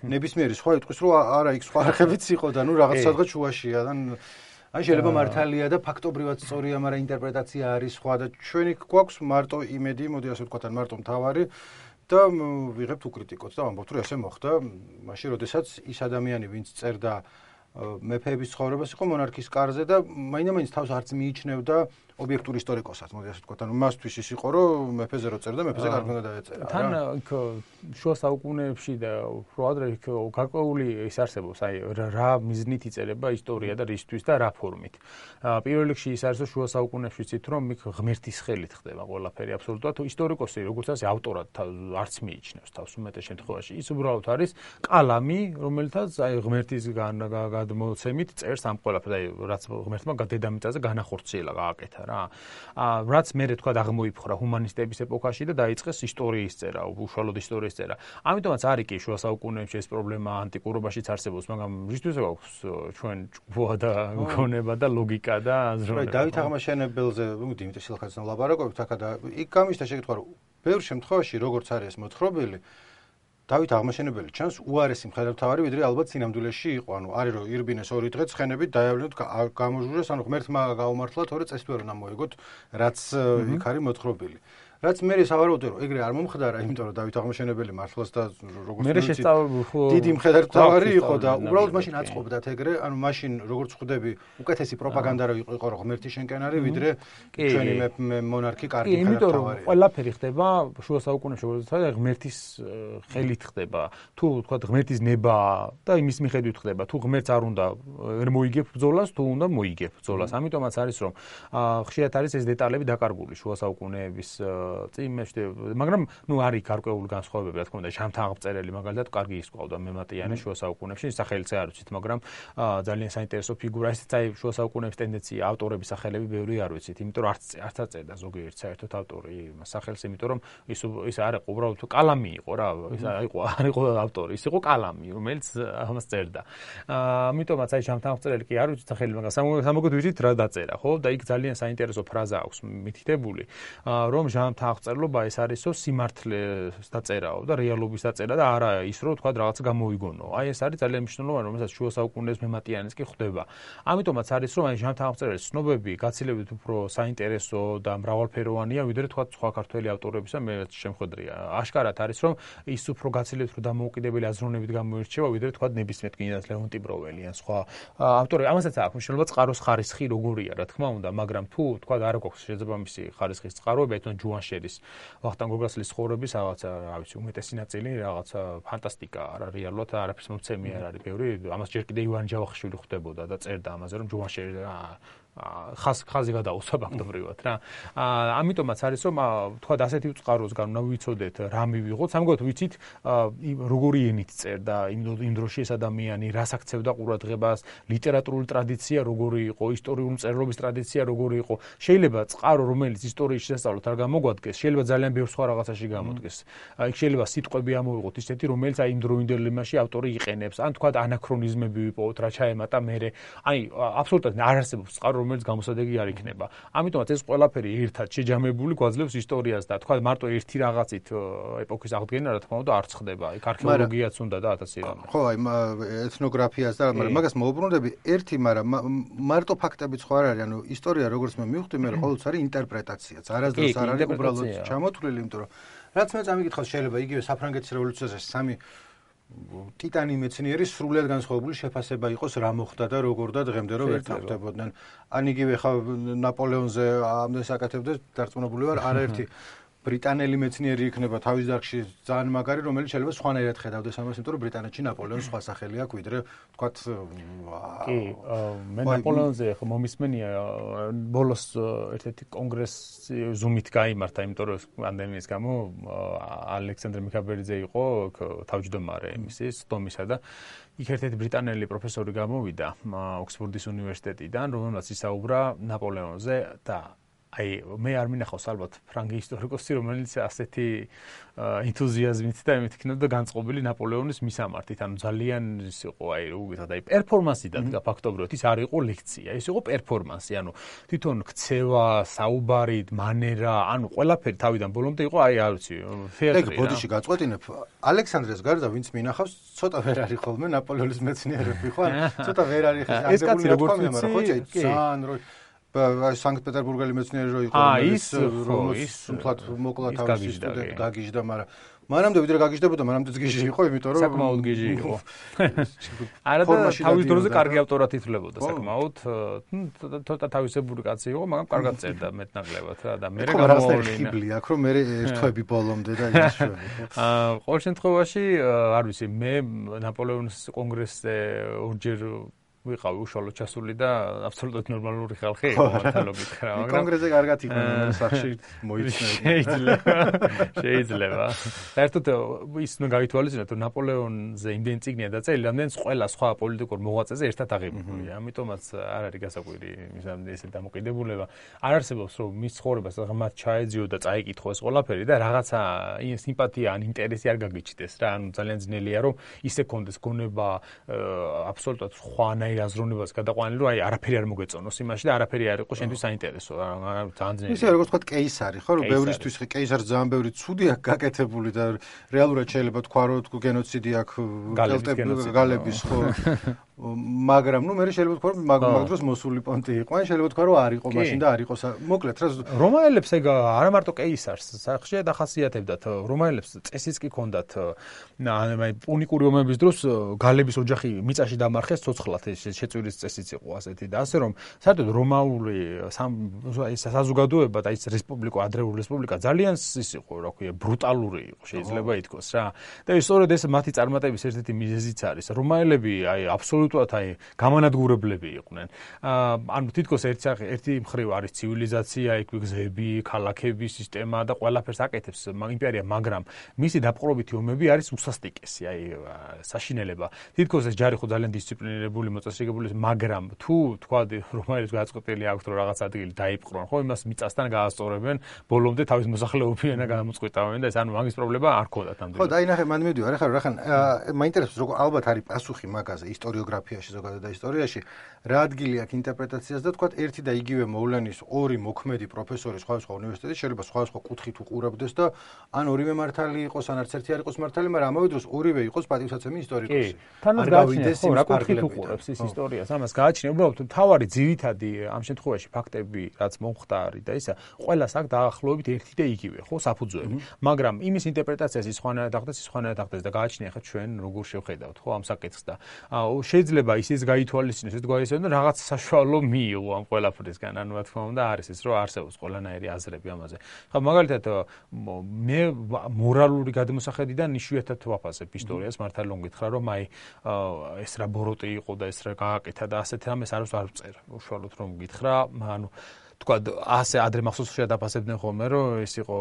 A: ნებისმიერი სხვა იტყვის რომ არა იქ სხვა არხებიც იყო და რაღაც სადღაც შუაშია და ან შეიძლება მართალია და ფაქტობრივად სწორია, მაგრამ ინტერპრეტაცია არის სხვა და ჩვენი გვაქვს მარტო იმედი, მოდი ასე ვთქვათ, ან მარტო მთავარი და ვიღებთ უკრიტიკოთ და ვამბობთ რომ ესე მოხდა, მაშინ როდესაც ის ადამიანი, ვინც წერდა მეფეების ცხოვრებას იყო მონარქის კარზე და მაინდა-მაინც თავს არც მიიჩნევდა ობიექტური ისტორიკოსად, მოდი ასე ვთქვათ, ანუ მასთვის ის იყო, რომ მეფეზე რო წერდა, მეფეზე კარგი უნდა დაეწერა.
B: თან იქ შუა საუკუნეებში და უფრო ადრე იქ გარკვეული ის არსებობს, აი რა მიზნით იწერება ისტორია და რისთვის და რა ფორმით. პირველ რიგში ის არის, რომ შუა საუკუნეებში ცით რომ იქ ღმერთის ხელით ხდება ყველაფერი აბსოლუტურად. ისტორიკოსი, როგორც არის, ავტორად არც მიიჩნევს თავს უმეტეს შემთხვევაში. ის უბრალოდ არის კალამი, რომელთაც აი ღმერთის გადმოცემით წერს ამ ყველაფერს, აი რაც ღმერთმა დედამიწაზე განახორციელა, გააკეთა. რაც მე თქვა აღმოიფხრა ჰუმანისტების ეპოქაში და დაიწყეს ისტორიის წერა, უშუალოდ ისტორიის წერა. ამიტომაც არის კი შუა საუკუნეებში ეს პრობლემა ანტიკურობაშიც არსებობს, მაგრამ რისთვის გვაქვს ჩვენ ჭკუა და გონება და ლოგიკა და აზროვნება.
A: დავით აღმაშენებელზე, დიმიტრი სილხაძესთან ვლაპარაკობთ აქა და იქ გამიშთა შეკითხვა, რომ ბევრ შემთხვევაში როგორც არის მოთხრობილი დავით აღმაშენებელი ჩანს უარესი მხედართმთავარი, ვიდრე ალბათ სინამდვილეში იყო. ანუ არის რომ ირბინეს 2 დღე ცხენებით დაევლინოთ, გამოჟურეს, ანუ ღმერთმა გაუმართლა, თორე წესი ვერ უნდა მოიგოთ, რაც იქ არის მოთხრობილი. რაც მე სავარაუდოა რომ ეგრე არ მომხდარა, იმიტომ რომ დავით აღმაშენებელი მართლაც და როგორც დიდი მხედართმთავარი იყო და უბრალოდ მაშინ აწყობდათ ეგრე, ანუ მაშინ როგორც ხვდები, უკეთესი პროპაგანდა რო იყო რომ ღმერთი შენკენ არის, ვიდრე ჩვენი მონარქი კარგი მხედართმთავარია.
B: იმიტომ რომ ყველაფერი ხდება შუა საუკუნეებში, როდესაც ღმერთის ხელით ხდება. თუ თქვა ღმერთის ნება და იმის მიხედვით ხდება. თუ ღმერთს არ უნდა ვერ მოიგებ ბრძოლას, თუ უნდა მოიგებ ბრძოლას. ამიტომაც არის რომ ხშირად არის ეს დეტალები დაკარგული შუა საუკუნეების წინმეშ, მაგრამ არის გარკვეული განსხვავებები, რა თქმა უნდა, ჟამთაღმწერელი მაგალითად კარგი ისყავდა მემატიანე შუა საუკუნეებში, სახელიც არ ვიცით, მაგრამ ძალიან საინტერესო ფიგურა, ესეც აი შუა საუკუნეების ტენდენცია, ავტორების სახელები ბევრი არ ვიცით, იმიტომ რომ არც აწერდა ზოგიერთ საერთოდ ავტორი სახელს, იმიტომ რომ ის არ იყო უბრალოდ კალამი იყო რა, არ იყო ავტორი, ის იყო კალამი, რომელიც ამას წერდა. ამიტომაც აი ჟამთაღმწერელი კი არ ვიცით სახელი, მაგრამ სამოგოდ ვიცით რა დაწერა, ხო? და იქ ძალიან საინტერესო ფრაზა აქვს მითითებული, რომ ჟამთაღმწერლობა ეს არისო სიმართლეს დაწერაო და რეალობის დაწერა და არა ის რომ თქვა რაღაცა გამოიგონო. აი ეს არის ძალიან მნიშვნელოვანი, რომელსაც შუა საუკუნეების მემატიანეც კი ხვდება. ამიტომაც არის რომ აი ჟამთაღმწერლის ცნობები გაცილებით უფრო საინტერესო და მრავალფეროვანია, ვიდრე თქვა სხვა ქართველი ავტორებისა, მე შემხედრია. აშკარად არის რომ ის უფრო გაცილებით უფრო დამოუკიდებელი აზროვნებით გამოირჩევა, ვიდრე თქვა ნებისმიერ კინოს ლეონტი ბროველი ან სხვა ავტორები. ამასაც აქვს მნიშვნელობა წყაროს ხარისხი როგორია, რა თქმა უნდა, მაგრამ თუ თქვა არ გვაქვს შესაძლებელი ხარისხის წყაროები, თუნდაც ჯუანშერის ვახტანგ გოგრასლის ცხოვრების რაღაცა, რა ვიცი, უმეტესი ნაწილი რაღაცა ფანტასტიკა, არა რეალურად არაფერს მომცემი არ არის ბევრი. ამას ჯერ კიდე ივან ჯავახიშვილი ხვდებოდა და წერდა ამაზე, რომ ჯუანშერი ხაზი გადაუსვა ფაქტობრივად რა. ამიტომაც არის რომ თქვა ასეთი წყაროსგან უნდა ვიცოდეთ რა მივიღოთ. სამგოთ ვიცით როგორი ენით წერდა იმ დროში ეს ადამიანი, რას აქცევდა ყურადღებას, ლიტერატურული ტრადიცია როგორი იყო, ისტორიული მწერლობის ტრადიცია როგორი იყო. შეიძლება წყარო რომელიც ისტორიის შესწავლოთ არ გამოგვადგეს, შეიძლება ძალიან ბევრ სხვა რაღაცაში გამოდგეს. იქ შეიძლება სიტყვები ამოვიღოთ ისეთი, რომელიც აი იმ დროინდელ იმაში ავტორი იყენებს, ან თქვა ანაქრონიზმები ვიპოვოთ, რა ჩაემატა მერე. აი აბსოლუტურად არ არსებობს წყარო რომელიც გამოსადეგი არ იქნება. ამიტომაც ეს ყველაფერი ერთად შეჯამებული გვაძლევს ისტორიას და თქვა მარტო ერთი რაღაცით ეპოქის აღდგენა რა თქმა უნდა არ ხდება. იქ არქეოლოგიაც უნდა და 1000 რამე.
A: ხო, აი ეთნოგრაფიას და მაგას მოუბრუნდები ერთი, მაგრამ მარტო ფაქტებიც ხო არ არის, ანუ ისტორია როგორც მე მივხვდი, მე ყოველთვის არის ინტერპრეტაციაც. არასდროს არ არის უბრალოდ ჩამოთვლილი, იმიტომ რომ რაც მე წამიკითხავს შეიძლება იგივე საფრანგეთის რევოლუციაზე სამი ტიტანი მეცნიერი სრულად განსხვავებული შეფასება იყოს რა მოხდა და როგორ და დღემდე რომ ვერ თავდებოდნენ. ან იგივე ხა ნაპოლეონზე ამდენ საკეთებდეს დარწმუნებული ვარ, არაერთი ბრიტანელი მეცნიერი იქნება თავის დარგში ძალიან მაგარი, რომელიც შეიძლება სხვანაირად ხედავდეს ამას, იმიტომ რომ ბრიტანეთში ნაპოლეონის სხვა სახელი აქვს, ვიდრე თქვათ
B: კი, მე ნაპოლეონზე ხო მომისმენია ბოლოს ერთ-ერთი კონგრესი ზუმით გაიმართა, იმიტომ რომ პანდემიის გამო ალექსანდრე მიქაბერიძე იყო თავმჯდომარე მისის დომისა და იქ ერთ-ერთი ბრიტანელი პროფესორი გამოვიდა ოქსფორდის უნივერსიტეტიდან, რომელმაც ისაუბრა ნაპოლეონზე და აი მე არ მინახავს ალბათ ფრანგი ისტორიკოსი, რომელიც ასეთი ენთუზიაზმით და იმით იქნებოდა განწყობილი ნაპოლეონის მისამართით. ანუ ძალიან ის იყო აი უგითად აი პერფორმანსი დადგა ფაქტობრივად, ის არ იყო ლექცია, ის იყო პერფორმანსი, ანუ თვითონ ქცევა, საუბარი, მანერა, ანუ ყველაფერი თავიდან ბოლომდე იყო აი არ ვიცი, თეატრი.
A: ეგ ბოდიში გაწყვეტინებ, ალექსანდრეს გარდა ვინც მინახავს, ცოტა ვერ არის ხოლმე ნაპოლეონის მეცნიერები, ხო? ცოტა ვერ არის
B: ეს კაცი როგორც
A: მაგრამ ხო ძალიან რო სანქტ-პეტერბურგელი მეცნიერი რო იყო, რომელიც სულთად მოკლა თავის სტუდენტ გაგიჟდა, მაგრამ მანამდე ვიდრე გაგიჟდებოდა, მანამდეც გიჟი იყო, იმიტომ რომ
B: საკმაოდ გიჟი იყო. არა და თავის დროზე კარგი ავტორად ითვლებოდა საკმაოდ, ცოტა თავისებური კაცი იყო, მაგრამ კარგად წერდა მეტნაკლებად რა და მე
A: გამოვლინა. აქ რომ მე ერთვები ბოლომდე და ის
B: ყოველ შემთხვევაში არ ვიცი, მე ნაპოლეონის კონგრესზე ორჯერ ვიყავი უშუალოდ ჩასული და აბსოლუტურად ნორმალური ხალხი იყო მართალობით რა,
A: მაგრამ კონგრესზე კარგად იქნება, სახში მოიცნები.
B: შეიძლება. საერთოდ ის უნდა გავითვალისწინოთ, რომ ნაპოლეონზე იმდენი წიგნია დაწერილი, რამდენიც ყველა სხვა პოლიტიკურ მოღვაწეზე ერთად აღებულია. ამიტომაც არ არის გასაკვირი ესე დამოკიდებულება. არ არსებობს რომ მის ცხოვრებას ღმად ჩაეძიო და წაიკითხო ეს ყველაფერი და რაღაცა სიმპათია ან ინტერესი არ გაგიჩნდეს რა. ანუ ძალიან ძნელია რომ ისე კონდეს გონება აბსოლუტურად ხვანაირ აზროვნებას გადაყვანილი, რომ აი არაფერი არ მოგეწონოს იმაში და არაფერი არ იყო შენთვის საინტერესო. ძალიან ძნელია.
A: ისე როგორც თქვა კეისარი, ხო, რომ ბევრისთვის კეისარს ძალიან ბევრი ცუდი აქვს გაკეთებული და რეალურად შეიძლება თქვა, რომ გენოციდი აქვს გალების, ხო. მაგრამ ნუ მე შეიძლება თქვა, რომ მაგ დროს მოსული პონტი იყო, ან შეიძლება თქვა, რომ არ იყო მაშინ და არ იყო. მოკლედ რა
B: რომაელებს ეგ არა მარტო კეისარს სახში დახასიათებდათ, რომაელებს წესიც კი ჰქონდათ, აი პუნიკური ომების დროს გალების ოჯახი მიწაში დამარხეს ცოცხლად შეწვირის წესიც იყო ასეთი და ასე რომ საერთოდ რომაული საზოგადოება და ის რესპუბლიკა, ადრეული რესპუბლიკა ძალიან ის იყო, რა ქვია, ბრუტალური იყო, შეიძლება ითქვას რა. და სწორედ ეს მათი წარმატების ერთ-ერთი მიზეზიც არის. რომაელები აი აბსოლუტურად აი გამანადგურებლები იყვნენ. ანუ თითქოს ერთი მხრივ არის ცივილიზაცია, იქ გზები, ქალაქები, სისტემა და ყველაფერს აკეთებს იმპერია, მაგრამ მისი დაპყრობითი ომები არის უსასტიკესი, აი საშინელება. თითქოს ეს ჯარი ხო ძალიან დისციპლინირებული მოწესრიგებული, მაგრამ თუ თქვა რომაელებს გააწყობილი აქვს რომ რაღაც ადგილი დაიპყრონ, ხო, იმას მიწასთან გაასწორებენ, ბოლომდე თავის მოსახლეობიანა გამოწყვეტავენ და ეს ანუ მაგის პრობლემა არ ქონდათ ამდენ.
A: ხო, და აი ნახე, მან მივიდივარ, ახლა რახან მაინტერესებს როგორ ალბათ არის პასუხი მაგაზე ისტორიოგრაფიაში ზოგადად და ისტორიაში, რა ადგილი აქვს ინტერპრეტაციას და თქვა ერთი და იგივე მოვლენის ორი მოქმედი პროფესორი სხვადასხვა უნივერსიტეტში შეიძლება სხვადასხვა კუთხით უყურებდეს და ან ორივე მართალი იყოს, ან არც ერთი არ იყოს მართალი, მაგრამ ამავე დროს ორივე იყოს პატივსაცემი ისტორიკოსი.
B: არ გავიდეს იმ კუთხით უყურებს ის ისტორიას, ამას გააჩნია უბრალოდ თავარი ძირითადი ამ შემთხვევაში ფაქტები, რაც მომხდა არის და ისა, ყველას აქვს დაახლოებით ერთი და იგივე, ხო, საფუძველი. მაგრამ იმის ინტერპრეტაციას ის სხვანაირად ახდენს, ის სხვანაირად ახდენს და გააჩნია ხა ჩვენ როგორ შევხედავთ, ხო, ამ საკითხს და შეიძლება ისიც გაითვალისწინოს, ეს გაიცნო რაღაც საშუალო მიიღო ამ ყველაფრისგან, ანუ რა თქმა უნდა არის ეს, რომ არსებობს ყველანაირი აზრები ამაზე. ხა მაგალითად მე მორალური გადმოსახედიდან იშვიათად ვაფასებ ისტორიას, მართალია გითხრა, რომ აი ეს რა ბოროტი იყო და ეს რა გააკეთა და ასეთ რამეს არ ვწერ. უშუალოდ რომ გითხრა, ანუ თქვა ასე ადრე მახსოვს შეადაფასებდნენ ხოლმე რომ ეს იყო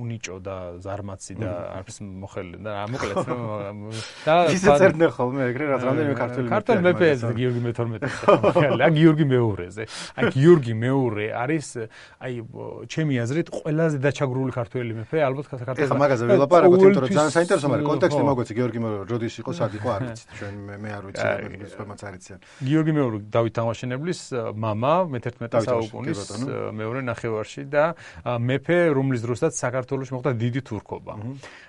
B: უნიჭო და ზარმაცი და არც მოხელი და მოკლედ და
A: ისე წერდნენ ხოლმე ეგრე რაც რამდენიმე
B: ქართული მეფე გიორგი მე-12 და გიორგი მე-2-ზე აი გიორგი მე-2 არის აი ჩემი აზრით ყველაზე დაჩაგრული ქართველი მეფე ალბათ საქართველოს
A: ეხლა მაგაზე ვილაპარაკოთ იმიტომ რომ ძალიან საინტერესო მაგრამ კონტექსტი მოგვეცი გიორგი მე-2 როდის იყო სად იყო არ ვიცით ჩვენ მე არ ვიცი ეს ფორმაც არიციან
B: გიორგი მე-2 დავით თამაშინებლის მამა მე-11 საუკუნის მეორე ნახევარში და მეფე რომლის დროსაც საქართველოს მოხდა დიდი თურქობა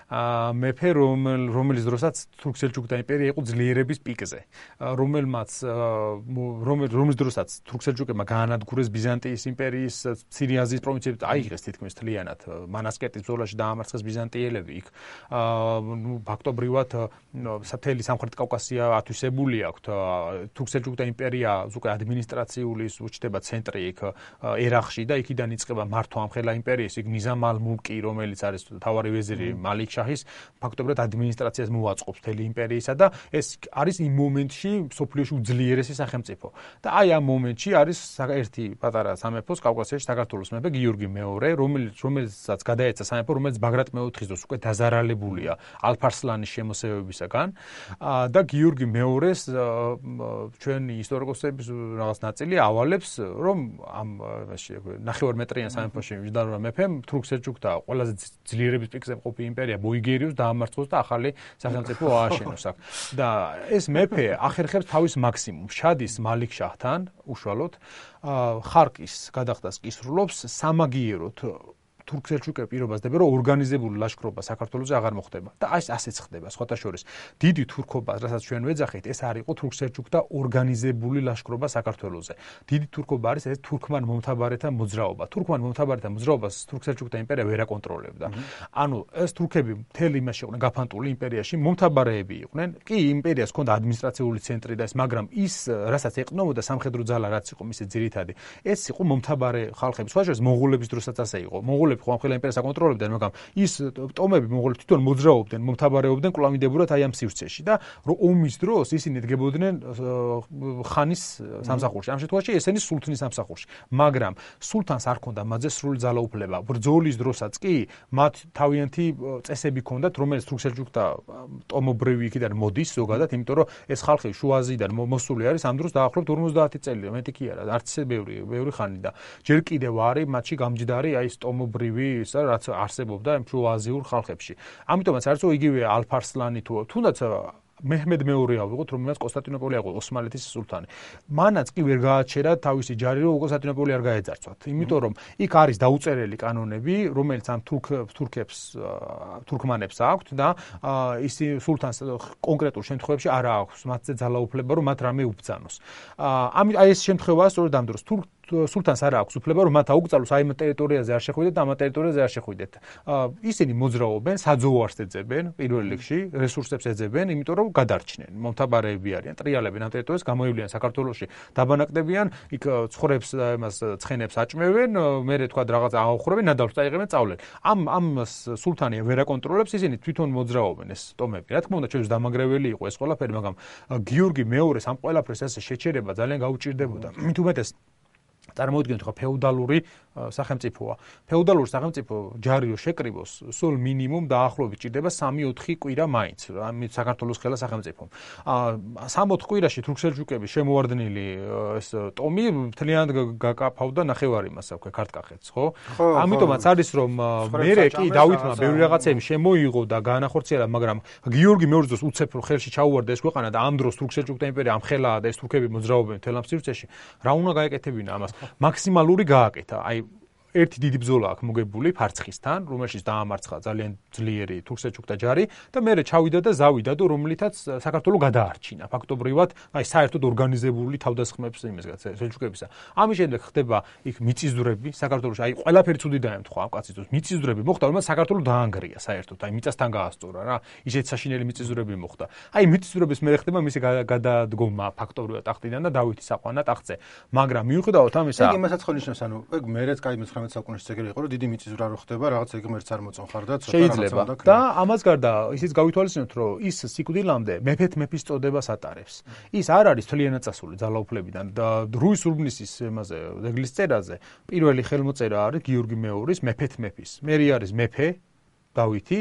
B: მეფე რომელიც დროსაც თურქ-სელჩუკთა იმპერია იყო ძლიერების პიკზე რომლის დროსაც თურქ-სელჩუკებმა გაანადგურეს ბიზანტიის იმპერიის მცირე აზიის პროვინციები აიღეს თითქმის მთლიანად მანასკერტის ბრძოლაში დაამარცხეს ბიზანტიელები იქ ფაქტობრივად მთელი სამხრეთ კავკასია ათვისებული აქვთ თურქ-სელჩუკთა იმპერია უკვე ადმინისტრაციული უჩნდება ცენტრი იქ ერახში და იქიდან იწყება მართვა ამხელა იმპერიის იქ ნიზამ ალ-მულკი რომელიც არის თავარი ვეზირი მალიქ შაჰის ფაქტობრივად ადმინისტრაციას მოაწყობს მთელი იმპერიისა და ეს არის იმ მომენტში სოფლიოში უძლიერესი სახელმწიფო და აი ამ მომენტში არის ერთი პატარა სამეფოს კავკასიაში საქართველოს მეფე გიორგი მე-2 რომელსაც გადაეცა სამეფო რომელიც ბაგრატ მე-4-ის დროს უკვე დაზარალებულია ალფარსლანის შემოსევებისაგან და გიორგი მე-2-ს ჩვენი ისტორიკოსების რაღაც ნაწილი ავალებს რომ ამ ნახევარმეტრიან სამეფოში მჯდარმა მეფემ თურქ-სელჩუკთა ყველაზე ძლიერების პიკზე მყოფი იმპერია ბოიგერიუს დაამარცხოს და ახალი სახელმწიფო ააშენოს აქ და ეს მეფე ახერხებს თავის მაქსიმუმს შადის მალიქ შაჰთან უშუალოდ ხარკის გადახდას კისრულობს სამაგიეროდ თურქ-სელჩუკები პირობას დებენ რომ ორგანიზებული ლაშქრობა საქართველოზე აღარ მოხდება და აი ასეც ხდება სხვათა შორის დიდი თურქობა რასაც ჩვენ ვეძახით ეს არ იყო თურქ-სელჩუკთა ორგანიზებული ლაშქრობა საქართველოზე დიდი თურქობა არის ეს თურქმან მომთაბარეთა მოძრაობა თურქმან მომთაბარეთა მოძრაობას თურქ-სელჩუკთა იმპერია ვერ აკონტროლებდა ანუ ეს თურქები მთელი იმაში იყვნენ გაფანტული იმპერიაში მომთაბარეები იყვნენ კი იმპერიას ჰქონდა ადმინისტრაციული ცენტრი და ეს მაგრამ ის რასაც ეყნობოდა სამხედრო ძალა რაც იყო მისი ძირითადი ეს იყო მომთაბარე ხალხები სხვა შორის მონღოლების დროსაც ასე იყო მონღოლები ხომ იმპერიას აკონტროლებდნენ, მაგრამ ის ტომები მონღოლები თვითონ მოძრაობდნენ, მომთაბარეობდნენ კვლავინდებურად აი ამ სივრცეში და რომ ომის დროს ისინი დგებოდნენ ხანის სამსახურში. ამ შემთხვევაში ესენი სულთნის სამსახურში. მაგრამ სულთანს არ ჰქონდა მათზე სრული ძალაუფლება. ბრძოლის დროსაც კი მათ თავიანთი წესები ჰქონდათ, რომელიც თურქ-სელჩუკთა ტომობრივი იქიდან მოდის ზოგადად, იმიტომ რომ ეს ხალხი შუა აზიიდან მოსული არის ამ დროს დაახლოებით 50 წელი, მეტი კი არა, არც ისე ბევრი ხანი და ჯერ კიდევ არის მათში გამჯდარი აი ეს ტომობრივი ისა რაც არსებობდა იმ შუა აზიურ ხალხებში. ამიტომაც არის რომ იგივე ალფარსლანი თუ თუნდაც მეჰმედ მეორე ავიღოთ, რომელსაც კონსტანტინოპოლი აღვო, ოსმალეთის სულთანი. მანაც კი ვერ გააჩერა თავისი ჯარი, რომ კონსტანტინოპოლი არ გაეძარცვათ. იმიტომ რომ იქ არის დაუწერელი კანონები, რომელიც ამ თურქმანებს აქვთ და ისი სულთანს კონკრეტულ შემთხვევებში არ აქვს მათზე ძალაუფლება, რომ მათ რამე უბრძანოს. აი ეს შემთხვევაა სწორედ ამ დროს სულთანს არ აქვს უფლება რომ მათ აუგზავნოს აი ამ ტერიტორიაზე არ შეხვიდეთ და ამ ტერიტორიაზე არ შეხვიდეთ. ისინი მოძრაობენ, საძოვარს ეძებენ პირველ რიგში, რესურსებს ეძებენ, იმიტომ რომ გადარჩნენ. მომთაბარეები არიან, ტრიალებენ ამ ტერიტორიას, გამოივლიან საქართველოში, დაბანაკდებიან, იქ ცხვრებს და იმას ცხენებს აჭმევენ, მერე თქვა რაღაც აუხრებენ, ნადავლს წაიღებენ, წავლენ. ამ სულთანი ვერ აკონტროლებს, ისინი თვითონ მოძრაობენ ეს ტომები. რა თქმა უნდა, ჩვენს დამაგრეველი იყო ეს ყველაფერი, მაგრამ გიორგი მეორეს ამ ყველაფერს ესე შეჩერება ძალიან გაუჭირდებოდა. მით უმეტეს წარმოვიდგინოთ ხო ფეოდალური სახელმწიფოა. ფეოდალური სახელმწიფო ჯარი რო შეკრიბოს, სულ მინიმუმ დაახლოებით ჭირდება 3-4 კვირა მაინც, ამ საქართველოს ხელა სახელმწიფომ. 3-4 კვირაში თურქ-სელჩუკები შემოვარდნილი ეს ტომი მთლიანად გაკაფავდა ნახევარი მას აქვე ქართკახეთს, ხო? ამიტომაც არის რომ მერე კი დავითმა ბევრი რაღაცები შემოიღო და გაანახორციელა, მაგრამ გიორგი მეორის დროს უცებ ხელში ჩაუვარდა ეს ქვეყანა და ამ დროს თურქ-სელჩუკთა იმპერია ამ ხელაა და ეს თურქები მოძრაობენ მთელ ამ სივრცეში. რა უნდა გაეკეთებინა ამას? მაქსიმალური გააკეთა. აი ერთი დიდი ბრძოლა აქვს მოგებული ფარცხისთან, რომელშიც დაამარცხა ძალიან ძლიერი თურქ-სელჩუკთა ჯარი და მერე ჩავიდა და ზავიდა და რომლითაც საქართველოს გადაარჩინა. ფაქტობრივად, აი საერთოდ ორგანიზებული თავდასხმებს იმისგან სელჩუკებისა. ამის შემდეგ ხდება იქ მიწისძვრები საქართველოში. აი ყველაფერი ცუდი დაემთხვა ამ კაცის დროს. მიწისძვრები მოხდა, რომელიც საქართველოს დაანგრია საერთოდ. აი მიწასთან გაასწორა რა. ისეთ საშინელი მიწისძვრები მოხდა. აი მიწისძვრების მერე ხდება მისი გადადგომა ფაქტობრივად ტახტიდან და დავითის აყვანა ტახტზე. მაგრამ მიუხედავად ამისა,
A: იგი მასაც ხონიშნავს, ანუ ეგ მერეც კაი 19 19 საუკუნეში ეგრე იყო, რომ დიდი მიწისძვრა რო ხდება, რაღაცა ღმერთს არ მოწონხარ და ცოტა
B: შეიძლება და ამას გარდა ისიც გავითვალისწინოთ, რომ ის სიკვდილამდე მეფის წოდებას ატარებს. ის არ არის თლიანად წასული ძალაუფლებიდან და რუის ურბნისის იმაზე ძეგლის წერაზე პირველი ხელმოწერა არის გიორგი მეორის მეფის. მერი არის მეფე დავითი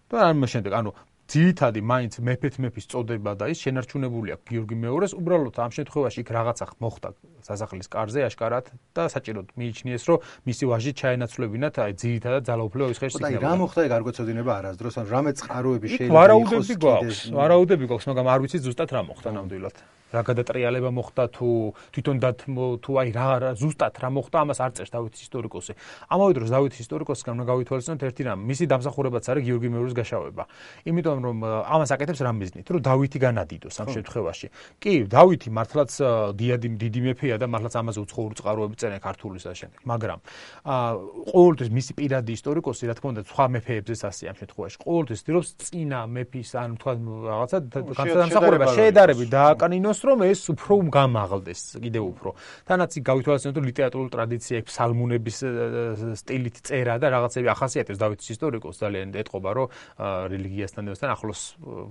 B: და ამ შემდეგ ანუ ძირითადი მაინც მეფის წოდება და ის შენარჩუნებული აქვს გიორგი მეორის. უბრალოდ ამ შემთხვევაში იქ რაღაცა მოხდა სასახლის კარზე აშკარად და საჭიროდ მიიჩნიეს, რომ მისი ვაჟი ჩაენაცვლებინათ აი ძირითადად ძალაუფლება ის ხერხს იქნება.
A: და რა მოხდა ეგ არ გვეცოდინება არასდროს, ან რამე წყაროები შეიძლება
B: იყოს. ვარაუდები გვაქვს, მაგრამ არ ვიცი ზუსტად რა მოხდა ნამდვილად. რა გადატრიალება მოხდა თუ თვითონ თუ აი რა ზუსტად რა მოხდა, ამას არ წერს დავითის ისტორიკოსი. ამავე დროს დავითის ისტორიკოსთან უნდა გავითვალისწინოთ ერთი რამ, მისი დამსახურებაც არის გიორგი მეორის გაშავება. იმიტომ რომ ამას აკეთებს რა მიზნით, რომ დავითი განადიდოს ამ შემთხვევაში. კი, დავითი მართლაც დიდი მეფეა და მართლაც ამაზე უცხოური წყაროები წერენ ქართულის და შემდეგ. მაგრამ ყოველთვის მისი პირადი ისტორიკოსი, რა თქმა უნდა, სხვა მეფეებზეც ასე ამ შემთხვევაში. ყოველთვის ცდილობს წინა მეფის ან თქვა რაღაცა დამსახურება შეედარებით დააკანინოს, რომ ეს უფრო გამაღლდეს კიდევ უფრო. თანაც გავითვალისწინოთ, რომ ლიტერატურული ტრადიცია, ფსალმუნების სტილით წერა და რაღაცები ახასიათებს დავითის ისტორიკოს ძალიან ეტყობა, რომ რელიგიასთან ახლოს,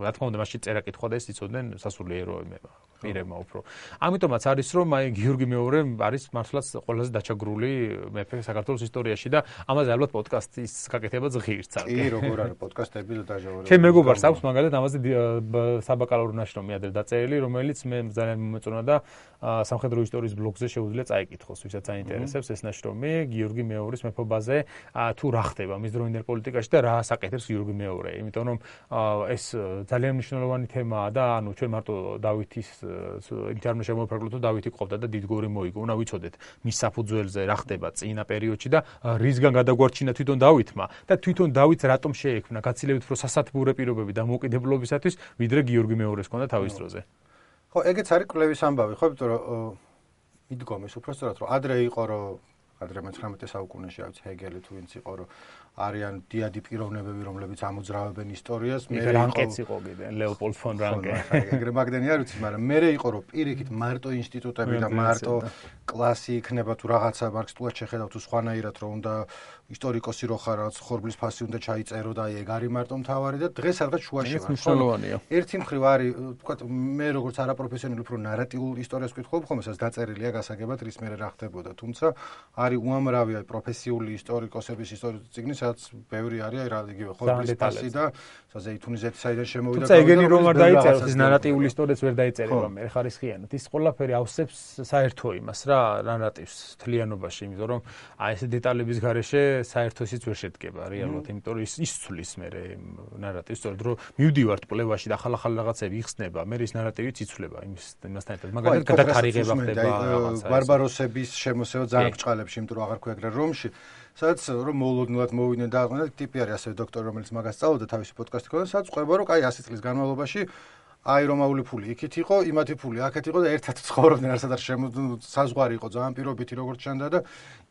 B: რა თქმა უნდა, მასში წერა კითხვა და ეს იცოდნენ სასულიერო პირებმა უფრო. ამიტომაც არის, რომ აი გიორგი მეორე არის მართლაც ყველაზე დაჩაგრული მეფე საქართველოს ისტორიაში და ამაზე ალბათ პოდკასტის გაკეთებაც ღირს არის.
A: კი, როგორ არის პოდკასტები და დაჟავერებული.
B: ჩემ მეგობარს აქვს მაგალითად ამაზე საბაკალავრო ნაშრომი ადრე დაწერილი, რომელიც მე ძალიან მომეწონა და სამხედრო ისტორიის ბლოგზე შეუძლია წაიკითხოს, ვისაც აინტერესებს ეს ნაშრომი გიორგი მეორის მეფობაზე, თუ რა ხდება მის დროინდელ პოლიტიკაში და რა საკეთებს გიორგი მეორე. იმიტომ რომ ეს ძალიან მნიშვნელოვანი თემაა და ანუ ჩვენ მარტო დავითის იმით არ შემოვიფარგლოთ, რომ დავითი ყოფდა და დიდგორი მოიგო. უნდა ვიცოდეთ მის საფუძველზე რა ხდება წინა პერიოდში და რისგან გადაგვარჩინა თვითონ დავითმა და თვითონ დავითს რატომ შეექმნა გაცილებით უფრო სასათბურე პირობები და მოკიდებულობისათვის, ვიდრე გიორგი მეორის ჰქონდა თავის დროზე.
A: ხო, ეგეც არის კვლევის ამბავი, ხო, იმიტომ რომ მიდგომის უბრალოდ რომ ადრე იყო, რომ ადრე 19 საუკუნეში არის ჰეგელი თუ ვინც იყო, რომ არიან დიადი პიროვნებები, რომლებიც ამოძრავებენ ისტორიას.
B: მე რანკეც იყო კიდე, ლეოპოლდ ფონ რანკე.
A: ეგრე მაგდენი არ ვიცი, მაგრამ მე იყო, რომ პირიქით მარტო ინსტიტუტები და მარტო კლასი იქნება თუ რაღაცა მარქსისტულად შეხედავ თუ სხვანაირად, რომ უნდა ისტორიკოსი რო ხარ, რაღაც ხორბლის ფასი უნდა ჩაიწერო და ეგ არის მარტო მთავარი და დღეს რაღაც შუაში ვარ.
B: მნიშვნელოვანია.
A: ერთი მხრივ არის, თქვა მე როგორც არაპროფესიონალი უფრო ნარატიულ ისტორიას ვკითხულობ, ხოლმე სადაც დაწერილია გასაგებად რის მერე რა ხდებოდა, თუმცა არის უამრავი პროფესიული ისტორიკოსების ისტორიული წიგნი, სადაც ბევრი არის აი რა იგივე ხორბლის ფასი და ზეითუნის ზეთი საიდან შემოვიდა.
B: თუმცა ეგენი რომ არ დაიწეროს, ის ნარატიული ისტორიაც ვერ დაიწერება მე ხარისხიანად. ის ყველაფერი ავსებს საერთო იმას რა ნარატივს თლიანობაში, იმიტომ რომ აი ეს დეტალების გარეშე საერთო ისიც ვერ შედგება რეალურად, იმიტომ რომ ის ცვლის მე ნარატივს, სწორედ რომ მივდივართ კვლევაში და ახალ რაღაცები იხსნება, მე ის ნარატივიც იცვლება იმასთან ერთად. მაგალითად გადათარიღება ხდება რაღაცა.
A: ბარბაროსების შემოსევა ძალიან ბრჭყალებში, იმიტომ რომ აღარ ქვია ეგრე რომში, სადაც რომ მოულოდნელად მოვიდნენ და აყვნენ და ტიპი არის ასევე დოქტორი, რომელიც მაგას სწავლობდა თავისი პოდკასტი ქონდა, სადაც ყვება რომ აი 100 წლის განმავლობაში აი რომაული ფული იქით იყო, იმათი ფული აქეთ იყო და ერთად ცხოვრობდნენ, არასადარ საზღვარი იყო ძალიან პირობითი როგორც ჩანდა და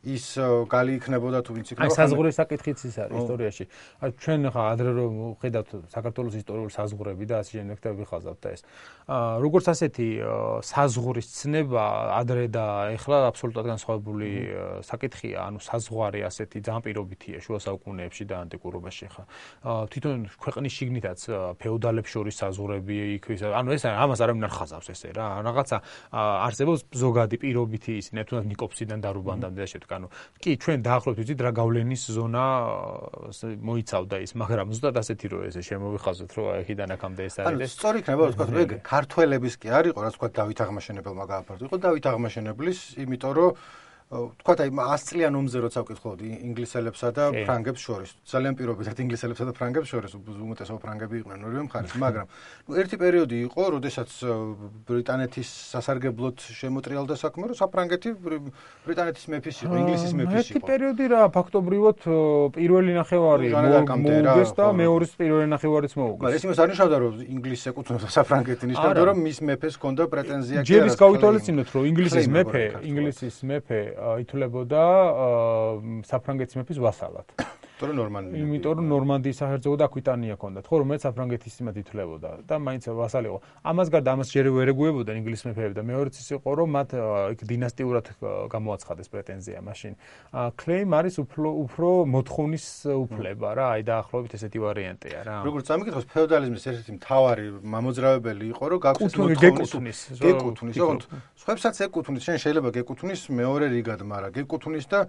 A: ის გალი იქნებოდა თუ ვინც იქნება.
B: აი საზღვრის საკითხიც ის არის ისტორიაში. აი ჩვენ ხა ადრე რომ ხედავთ საქართველოს ისტორიული საზღვრები და ასე შემდეგ და ვიხაზავთ და ეს. როგორც ასეთი საზღვრის ცნება ადრე და ეხლა აბსოლუტურად განსხვავებული საკითხია, ანუ საზღვარი ასეთი ძალიან პირობითია შუა საუკუნეებში და ანტიკურობაში ხა. თვითონ ქვეყნის შიგნითაც ფეოდალებს შორის საზღვრები ანუ ეს ამას არავინ არ ხაზავს ესე რა. რაღაცა არსებობს ზოგადი პირობითი ისინი, თუნდაც ნიკოპსიდან და რუბანდამდე და შემდეგ. ანუ კი ჩვენ დაახლოებით ვიცით რა გავლენის ზონა მოიცავდა ის, მაგრამ ზუსტად ასეთი რო ესე შემოვიხაზოთ, რომ აქედან აქამდე ეს არის.
A: ანუ სწორი იქნება რა თქვა, ეგ ქართველების კი არ იყო, რა თქვა დავით აღმაშენებელმა გააფართო. იყო დავით აღმაშენებლის, იმიტომ რომ თქვა აი 100 წლიან ომზე როცა ვკითხულობდი ინგლისელებსა და ფრანგებს შორის. ძალიან პირობითად ინგლისელებსა და ფრანგებს შორის უმეტესობა ფრანგები იყვნენ ორივე მხარეს, მაგრამ ერთი პერიოდი იყო, როდესაც ბრიტანეთის სასარგებლოდ შემოტრიალდა საქმე, რომ საფრანგეთი ბრიტანეთის მეფის იყო, ინგლისის მეფის იყო.
B: ერთი პერიოდი რა, ფაქტობრივად პირველი ნახევარი მოუგეს და მეორის პირველი ნახევარიც მოუგეს.
A: მაგრამ ეს იმას არ ნიშნავდა, რომ ინგლისს ეკუთვნოდა საფრანგეთი, ნიშნავდა, რომ მის მეფეს ჰქონდა პრეტენზია კი არა.
B: ჯერის გავითვალისწინოთ, რომ ინგლისის მეფე ითვლებოდა საფრანგეთის მეფის ვასალად. იმიტომ რომ ნორმანდიის საჰერცოგო და აკვიტანია ჰქონდათ, ხო, რომელიც საფრანგეთის იმად ითვლებოდა და მაინც ვასალი იყო. ამას გარდა ამას ჯერ ვერ ეგუებოდნენ ინგლის მეფეები და მეორეც ის იყო, რომ მათ იქ დინასტიურად გამოაცხადეს პრეტენზია მაშინ. Claim არის უფრო მოთხოვნის უფლება რა, აი დაახლოებით ესეთი ვარიანტია რა.
A: როგორც ამიკითხოს ფეოდალიზმის ერთ-ერთი მთავარი მამოძრავებელი იყო, რომ გაქვს მოთხოვნის გეკუთვნის, ოღონდ სხვებსაც ეკუთვნის, შენ შეიძლება გეკუთვნის მეორე რიგად, მაგრამ გეკუთვნის და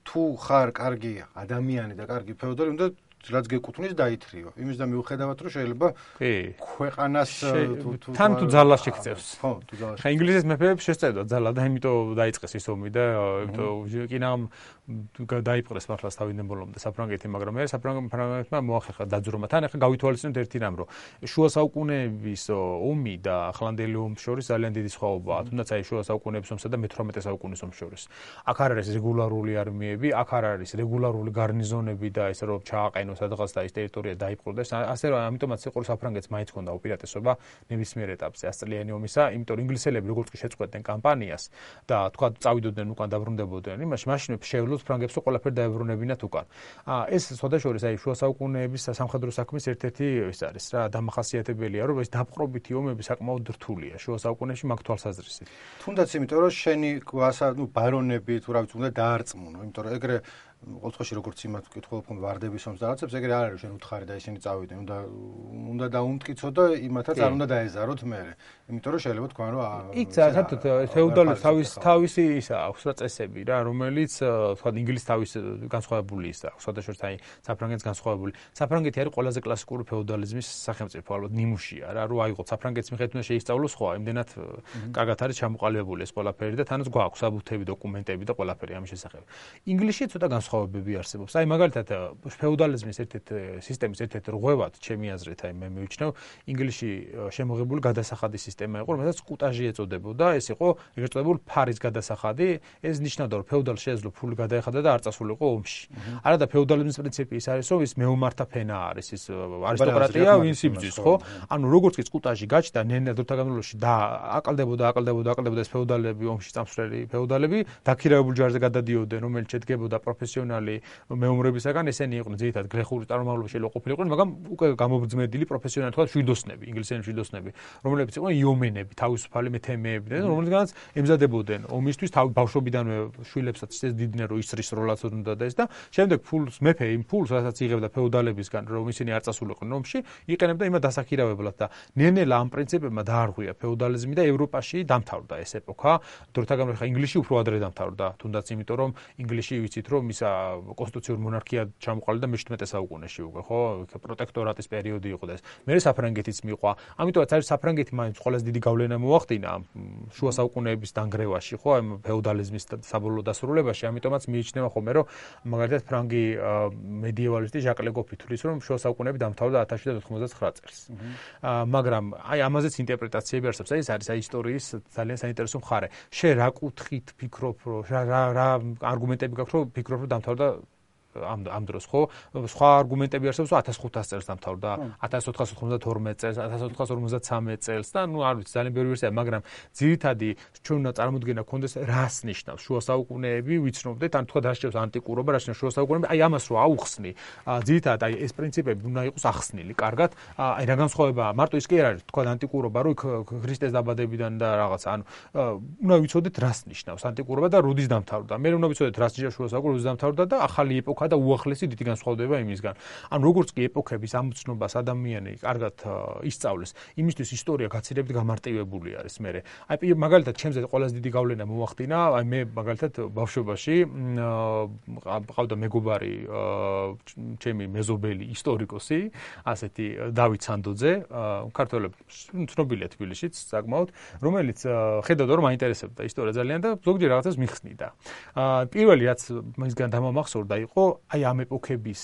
A: თუ ხარ კარგი ადამიანი და კარგი ფეოდალი, უნდა რაც გეკუთვნის დაითრიო. იმის და მიუხედავად რომ შეიძლება ქვეყანას
B: თან თუ ძალას შეგწევს.
A: ხო, თუ ძალას.
B: ხა ინგლისის მეფეებს შესწევდა ძალა და იმიტომ დაიწყეს ის ომი და იმიტომ კინამ დაიპყრეს მართლაც თავიდან ბოლომდე საფრანგეთი, მაგრამ მე საფრანგეთმა მოახერხა დაძრომა. თან ახლა გავითვალისწინოთ ერთი რამ, რომ შუა საუკუნეების ომი და ახლანდელი ომის შორის ძალიან დიდი სხვაობაა. თუნდაც აი შუა საუკუნეების ომსა და მე-18 საუკუნის ომის შორის. აქ არ არის რეგულარული არმიები, აქ არ არის რეგულარული გარნიზონები და ესე რომ ჩააყენო სადღაც და ის ტერიტორია დაიპყროდეს. ასე რომ ამიტომაც იყო საფრანგეთს მაინც ჰქონდა უპირატესობა ნებისმიერ ეტაპზე 100 წლიანი ომისა, იმიტომ რომ ინგლისელები როგორც კი შეწყვეტდნენ კამპანიას და თქვა წავიდოდნენ უკან დაბრუნდებოდნენ იმაში, მაშინვე შეეძლოთ ფრანგებს რომ ყველაფერი დაებრუნებინათ უკან. ეს სხვადასხვა აი შუა საუკუნეების სამხედრო საქმის ერთ-ერთი ის არის რა, დამახასიათებელია, რომ ეს დაპყრობითი ომები საკმაოდ რთულია შუა საუკუნეებში მაგ თვალსაზრისით.
A: თუნდაც იმიტომ რომ შენი ბარონები თუ რა ვიცი უნდა დაარწმუნო, იმიტომ რომ ეგრე ყოველთვის როგორც იმათ ვკითხულობ ვარდების ომს და რაღაცებს, ეგრე არ არის შენ უთხარი და ისინი წავიდნენ, უნდა დაუმტკიცო და იმათაც არ უნდა დაეზაროთ მერე. იმიტომ რომ შეიძლება თქვან რომ
B: იქ საერთოდ ფეოდალებს თავისი ისა აქვს რა წესები რა, რომელიც თქვა ინგლისის თავის განსხვავებული ისა აქვს, სხვადასხვა აი საფრანგეთის განსხვავებული. საფრანგეთი არის ყველაზე კლასიკური ფეოდალიზმის სახელმწიფო, ალბათ ნიმუშია რა, რომ აიღო საფრანგეთის მიხედვით უნდა შეისწავლოს ხო, იმდენად კარგად არის ჩამოყალიბებული ეს ყველაფერი და თანაც გვაქვს საბუთები, დოკუმენტები და ყველაფერი ამის შესახებ. ინგლისში ცოტა განსხვავებები არსებობს. აი მაგალითად ფეოდალიზმის ერთ-ერთი სისტემის ერთ-ერთი რღვევად, ჩემი აზრით, აი მე მივიჩნევ, ინგლისში შემოღებული გადასახადის სისტემა იყო, რომელსაც კუტაჟი ეწოდებოდა. ეს იყო ეგრეთ წოდებული ფარის გადასახადი. ეს ნიშნავდა, რომ ფეოდალს შეეძლო ფული გადაეხადა და არ წასულიყო ომში. არა და ფეოდალიზმის პრინციპი ის არის, რომ ის მეომართა ფენა არის, ის არისტოკრატია, ვინც იბრძვის, ხო? ანუ როგორც კი კუტაჟი გაჩნდა, ნენა დროთა განმავლობაში და აყალდებოდა ეს ფეოდალები, ომში წამსვლელი ფეოდალები, დაქირავებულ ჯარზე გადადიოდნენ, რომელიც შედგებოდა პროფესიონალი მეომრებისაგან, ესენი იყვნენ ძირითადად გლეხური წარმომავლობის შეიძლება ყოფილიყვნენ, მაგრამ უკვე გამობრძმედილი პროფესიონალი, თქვა შვიდოსნები, ინგლისელი შვიდოსნები, რომლებიც იყვნენ იომენები, თავისუფალი მეთემეები და რომელთაგანაც ემზადებოდნენ ომისთვის, ბავშვობიდანვე შვილებსაც შეძდიდნენ, რომ ისრის როლაც უნდა და ეს და შემდეგ ფულს მეფე იმ ფულს, რასაც იღებდა ფეოდალებისგან, რომ ისინი არ წასულიყვნენ ომში, იყენებდა იმად დასაქირავებლად და ნენელა ამ პრინციპებმა დაარღვია ფეოდალიზმი და ევროპაში დამთავრდა ეს ეპოქა. დროთა განმავლობაში ინგლისში უფრო ადრე დამთავრდა, თუნდაც იმიტომ რომ ინგლისში ვიცით რომ ისა კონსტიტუციური მონარქია ჩამოყალიბდა მე-17 საუკუნეში უკვე, ხო? პროტექტორატის პერიოდი იყო და ეს. მერე საფრანგეთიც მიყვა. ამიტომაც არის საფრანგეთი მაინც ყველაზე დიდი გავლენა მოახდინა შუა საუკუნეების დანგრევაში, ხო? ამ ფეოდალიზმის საბოლოო დასრულებაში. ამიტომაც მიიჩნევა ხოლმე რომ მაგალითად ფრანგი მედიევალისტი ჟაკ ლეგოფი თვლის რომ შუა საუკუნეები დამთავრდა 1799 წელს. მაგრამ აი ამაზეც ინტერპრეტაციები არსებობს. ეს არის აი ისტორიის ძალიან საინტერესო მხარე. შე რა კუთხით ფიქრობ, რა არგუმენტები გაქვს რომ ფიქრობ რომ დამთავრდა ამ დროს ხო? სხვა არგუმენტები არსებობს 1500 წელს დამთავრდა, 1492 წელს, 1453 წელს და ნუ არ ვიცი ძალიან ბევრი ვერსია, მაგრამ ძირითადი ჩვენ უნდა წარმოდგენა გქონდეს რას ნიშნავს შუა საუკუნეები, ვიცნობდეთ, ან თქვა დასჭირს ანტიკურობა, რა ნიშნავს შუა საუკუნეები, აი ამას რო აუხსნი, ძირითადად აი ეს პრინციპები უნდა იყოს ახსნილი, კარგად, აი რა განსხვავებაა, მარტო ის კი არ არის, თქვა ანტიკურობა, რო ქრისტეს დაბადებიდან და რაღაც, ანუ უნდა ვიცოდეთ რას ნიშნავს ანტიკურობა და როდის დამთავრდა. მე უნდა ვიცოდეთ რას ნიშნავს შუა საუკუნეები, როდის დამთავრდა და ახალი ეპოქა და უახლესი დიდი განსხვავდება იმისგან. ანუ როგორც კი ეპოქების ამცნობას ადამიანი კარგად ისწავლეს, იმისთვის ისტორია გაცილებით გამარტივებული არის მერე. აი მაგალითად ჩემზე ყველაზე დიდი გავლენა მოახდინა, აი მე მაგალითად ბავშვობაში ყავდა მეგობარი ჩემი მეზობელი ისტორიკოსი, ასეთი დავით სანდოძე, ქართველებს ცნობილია თბილისშიც საკმაოდ, რომელიც ხედავდა რომ მაინტერესებდა ისტორია ძალიან და ზოგჯერ რაღაცას მიხსნიდა. პირველი რაც მისგან დამამახსოვრდა იყო აი ამ ეპოქების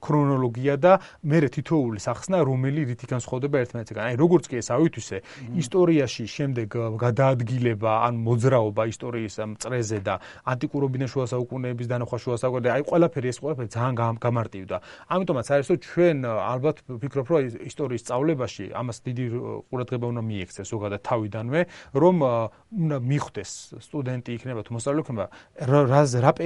B: ქრონოლოგია და მერე თითოეული სახსნა რომელი რითი განსხვავდება ერთმანეთისგან. აი როგორც კი ეს ავითვისე, ისტორიაში შემდეგ გადაადგილება ან მოძრაობა ისტორიის წრეზე და ანტიკურობიდან შუა საუკუნეების დანახვა შუა საუკუნეებში, აი ყველაფერი ძალიან გამარტივდა. ამიტომაც არის რომ ჩვენ ალბათ ვფიქრობ რომ ისტორიის სწავლებაში ამას დიდი ყურადღება უნდა მიექცეს ზოგადად თავიდანვე, რომ უნდა მიხვდეს სტუდენტი იქნება თუ მოსწავლე იქნება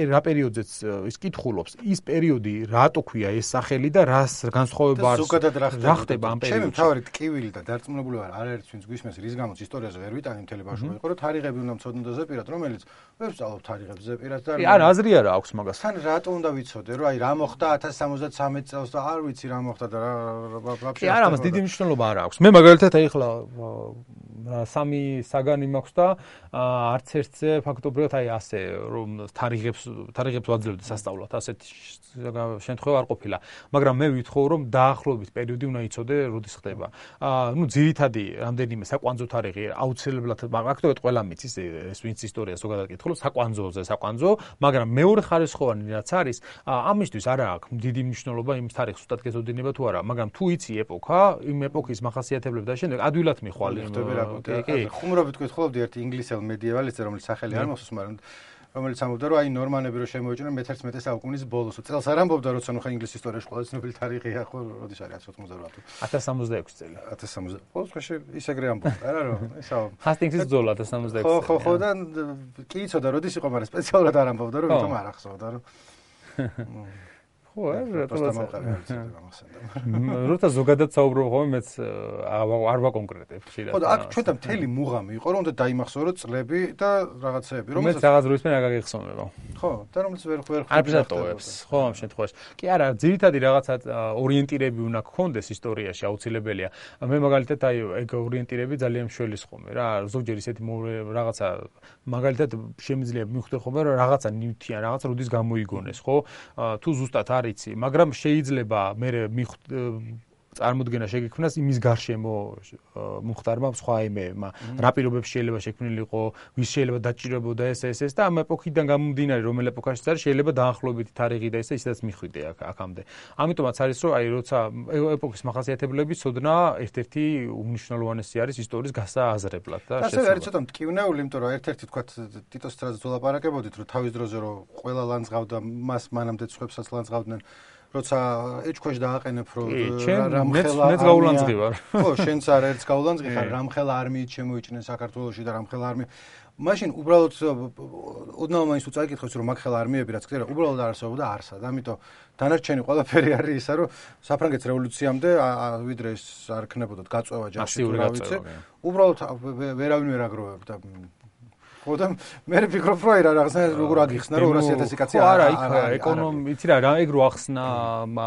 B: რა პერიოდზეც ის კითხვა განსახულობს ის პერიოდი რატო ქვია ეს სახელი და რას განსხვავება არის რა ხდება ამ პერიოდში.
A: ჩემი მთავარი ტკივილი და დარწმუნებული ვარ არაერთს ვინც გვისმენს რის გამოც ისტორიაზე ვერ ვიტანი მთელი ბავშვობა იყო რომ თარიღები უნდა მცოდნოდე ზეპირად რომელიც ვერ ვსწავლობ თარიღებს ზეპირად და
B: არა აზრი არა აქვს მაგას.
A: თან რატო უნდა ვიცოდე რომ აი რა მოხდა 1073 წელს და არ ვიცი რა მოხდა და რა
B: ვაფშე არა მას დიდი მნიშვნელობა არ აქვს. მე მაგალითად ახლა სამი საგანი მაქვს და არც ერთზე ფაქტობრივად აი ასე რომ თარიღებს ვაძლევდი სასწავლად ასეთ შემთხვევა არ ყოფილა. მაგრამ მე ვითხოვ რომ დაახლოებით პერიოდი უნდა იცოდე როდის ხდება. ნუ ძირითადი რამდენიმე საკვანძო თარიღი აუცილებლად ფაქტობრივად ყველა მიცის ეს ვინც ისტორიას ზოგადად კითხულობს საკვანძო, მაგრამ მეორე ხარისხოვანი რაც არის ამისთვის არა აქვს დიდი მნიშვნელობა იმ თარიღს უსტად გეცოდინება თუ არა, მაგრამ თუ იცი ეპოქა, იმ ეპოქის მახასიათებლები და შემდეგ ადვილად მიხვალე.
A: ხუმრობით გითხულობდი ერთი ინგლისელ მედიევალისტზე რომელიც სახელი არ მახსოვს, მაგრამ რომელიც ამბობდა რომ აი ნორმანები რომ შემოეჭრნენ მე-11 საუკუნის ბოლოს. წელს არ ამბობდა როცა ნუ ხა ინგლისის ისტორიაში ყველა ცნობილი თარიღია ხო, როდის არის 1088 თუ
B: 1066 წელი.
A: 1060. ყოველ შემთხვევაში ის ეგრე ამბობდა, არა რომ ისა
B: ჰასტინგსის ბრძოლა 1066.
A: ხო და კი იცოდა როდის იყო, მაგრამ სპეციალურად არ ამბობდა რომ ვითომ არ ახსოვდა რომ ხო,
B: როცა ზოგადად საუბრობ ხოლმე მეც არ ვაკონკრეტებ ხშირად.
A: ხო და აქ ჩვენთან მთელი მუღამი იყო რომ უნდა დაიმახსოვროთ წლები და რაღაცეები,
B: რომელსაც რაღაც დროის მერე აგაგიხსოვნება.
A: ხო, და რომელიც ვერ
B: არბიზატოებს, ხო ამ შემთხვევაში. კი არა, ძირითადი რაღაცა ორიენტირები უნდა გქონდეს ისტორიაში აუცილებელია. მე მაგალითად აი ეგ ორიენტირები ძალიან მშველის ხომ რა, ზოგჯერ ისეთი რაღაცა მაგალითად შემიძლია მივხვდე ხომ რომ რაღაცა ნივთიან, რაღაც როდის გამოიგონეს, ხო? თუ ზუსტად არიცი, მაგრამ შეიძლება მე წარმოდგენა შეგექმნას იმის გარშემო მომხდარმა სხვა იმეებმა, რა პირობებში შეიძლება შექმნილიყო, ვის შეიძლება დაჭირებოდა ეს და ამ ეპოქიდან გამომდინარე რომელ ეპოქაშიც არის შეიძლება დაახლოებითი თარიღი და ისედაც მიხვიდე აქამდე. ამიტომაც არის რომ აი როცა ეპოქის მახასიათებლები ცოდნა ერთ-ერთი უმნიშვნელოვანესი არის ისტორიის გასააზრებლად და
A: შესაძლოა. ასე არის ცოტა მტკივნეული, იმიტომ რომ ერთ-ერთი თქვა ტიტოს დროზე ვლაპარაკებოდით, რომ თავის დროზე რომ ყველა ლანძღავდა, მას მანამდე ცხებსაც ლანძღავდნენ. როცა ეჭქვეშ დააყენებ რომ
B: მეც გავლანძღი ვარ.
A: ხო, შენც არ ერთს გავლანძღი ხარ, რამხელა არმიით შემოიჭნენ საქართველოში და რამხელა არმია. მაშინ უბრალოდ ოდნავ მაინც უწაიკითხებს რომ მაგხელა არმიები რაც ხდება, უბრალოდ არსებობდა არსად. ამიტომ დანარჩენი ყველაფერი არის ისა რომ საფრანგეთის რევოლუციამდე ვიდრე ეს არ ქნებოდათ გაწვევა ჯარში თუ რა ვიცი. უბრალოდ ვერავინ ვერ აგროვებდა. ხო და მე ვფიქრობ რომ რა რაღაცა როგორ აგიხსნა რომ 200,000 კაცი
B: არა იქ ეკონომიკა იცი რა ეგ რო ახსნა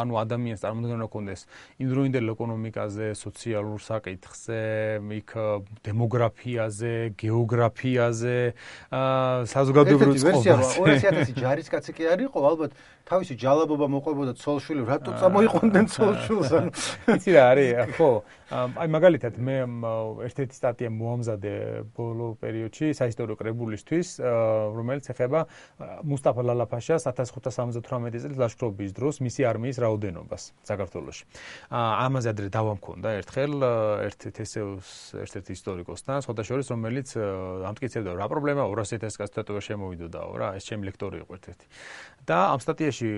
B: ანუ ადამიანს წარმოდგენა ჰქონდეს იმდროინდელ ეკონომიკაზე, სოციალურ საკითხზე, იქ დემოგრაფიაზე, გეოგრაფიაზე, საზოგადოებრივ წყობაზე.
A: 200,000 ჯარისკაცი კი არ იყო, ალბათ თავისი ჯალაბობა მოყვებოდა ცოლშვილი, რატო წამოიყვნენ ცოლშვილს ანუ
B: იცი რა არის, ხო. აი მაგალითად მე ერთ-ერთი სტატია მოამზადე ბოლო პერიოდში საისტორიო კრებულისთვის, რომელიც ეხება მუსტაფა ლალაფაშას 1578 წლის ლაშქრობის დროს მისი არმიის რაოდენობას საქართველოში. ამაზე ადრე დავა მქონდა ერთხელ ერთ-ერთი ისტორიკოსთან, სხვადასხვა რომელიც ამტკიცებდა რა პრობლემა 200,000 კაცი თათოა შემოვიდოდაო რა, ეს ჩემი ლექტორი იყო ერთ-ერთი. და ამ სტატიაში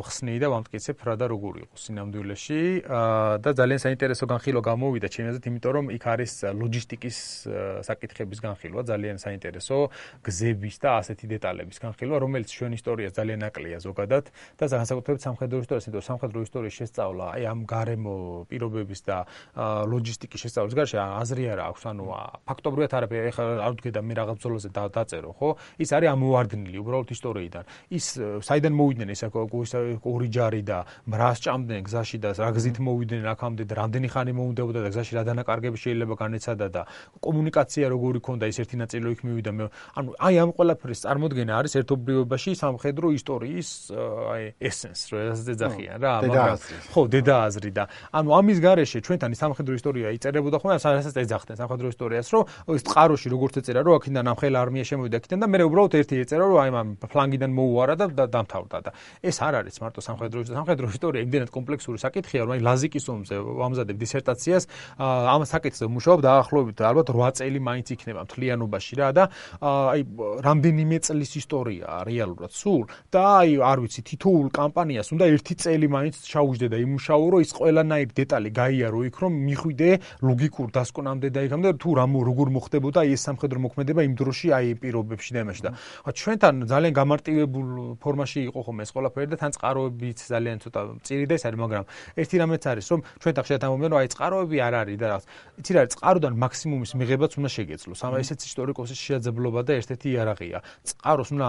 B: ხსნი და ვამტკიცებ რა და როგორ იყო სინამდვილეში და ძალიან საინტერესო განხილვა გამოვიდა ჩემი აზრით, იმიტომ რომ იქ არის ლოჯისტიკის საკითხების განხილვა, ძალიან საინტერესო გზების და ასეთი დეტალების განხილვა, რომელიც ჩვენ ისტორიას ძალიან აკლია ზოგადად და განსაკუთრებით სამხედრო ისტორიას, იმიტომ რომ სამხედრო ისტორიის შესწავლა, აი ამ გარემო პირობების და ლოჯისტიკის შესწავლის გარშე აზრი არა აქვს, ანუ ფაქტობრივად არაფერი, ეხლა არ ვდგედა მე რაღაც ბრძოლაზე დაწერო, ხო? ის არის ამოვარდნილი უბრალოდ ისტორიიდან. ის საიდან მოვიდნენ ეს ორი ჯარი და რას ჭამდნენ გზაში და რა გზით მოვიდნენ აქამდე და რამდენი ხანი მოუნდებოდა და გზაში რა დანაკარგები შეიძლება განეცადა და კომუნიკაცია როგორი ქონდა, ის ერთი ნაწილი იქ მივიდა. ანუ აი ამ ყველაფრის წარმოდგენა არის ერთობლიობაში სამხედრო ისტორიის აი ესენს, როდესაც ეძახიან რა,
A: მაგრამ
B: ხო, დედააზრი და ანუ ამის გარეშე ჩვენთან სამხედრო ისტორია იწერებოდა ხოლმე, რასაც ეძახდნენ სამხედრო ისტორიას, რომ ის წყაროში როგორც ეწერა, რომ აქედან ამხელა არმია შემოვიდა აქედან და მე უბრალოდ ერთი ეწერა, რომ აი ამ ფლანგიდან მოუარა და დამთავრდა და ეს არ არის მარტო სამხედრო ისტორია, იმდენად კომპლექსური საკითხია, რომ აი ლაზიკის ომზე ვამზადებ დისერტაციას, ამ საკითხზე ვმუშაობ დაახლოებით ალბათ 8 წელი მაინც იქნება მთლიანობაში რა და აი რამდენიმე წლის ისტორიაა რეალურად სულ და აი არ ვიცი თითოეულ კამპანიას უნდა 1 წელი მაინც ჩაუჯდე და იმუშაო რომ ის ყველანაირი დეტალი გაიარო იქ რომ მიხვიდე ლოგიკურ დასკვნამდე და იქამდე თუ როგორ მოხდებოდა აი ეს სამხედრო მოქმედება იმ დროში აი პირობებში და იმაში და ჩვენთან ძალიან გამარტივებულ ფორმაში იყო ხომ ეს ყველაფერი და თან წყაროებიც ძალიან ცოტა მწირი და ეს არის მაგრამ ერთი რამეც არის რომ ჩვენ ხშირად ამბობენ რომ აი წყაროები არ არის და რაღაც იცი რა არის წყაროდან მაქსიმუმის მიღებაც უნდა შეგეძლოს ამ ესეც ისტორიკოსის შესაძლებლობა და ერთ-ერთი იარაღია წყაროს უნდა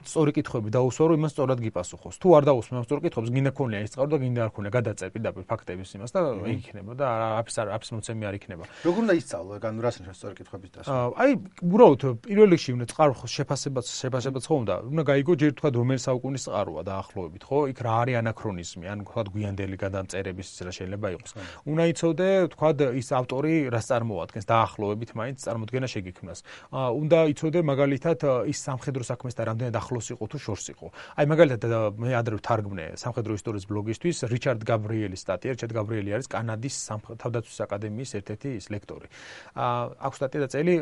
B: სწორი კითხვები დაუსვა რომ იმას სწორად გიპასუხოს თუ არ დაუსვა ამ სწორ კითხვებს გინდა ქონია ის წყარო და გინდა არ ქონია გადაწერ პირდაპირ ფაქტების იმას და იქნება და აფის მოცემი არ იქნება
A: როგორ უნდა ისწავლო ანუ რას ნიშნავს სწორი კითხვების დასვა
B: აი უბრალოდ პირველ რიგში უნდა წყაროს შეფასებაც ხო უნდა გაიგო ჯერ თქვა რომელი საუკუნის წყაროა დაახლოებით ხო იქ რა არის ანაქრონიზმი ან თქვა გვიანდელი გადამწერების რა შეიძლება იყოს უნდა იცოდე თქვა ის ავტორი რას წარმოადგენს დაახლოებით მაინც წარმოდგენა შეგიქმნას უნდა იცოდე მაგალითად ის სამხედრო საქმესთან რამდენად ახლოს იყო თუ შორს იყო აი მაგალითად მე ადრე ვთარგმნე სამხედრო ისტორიის ბლოგისთვის რიჩარდ გაბრიელის სტატია რიჩარდ გაბრიელი არის კანადის თავდაცვის აკადემიის ერთ-ერთი ლექტორი აქვს სტატია დაწერილი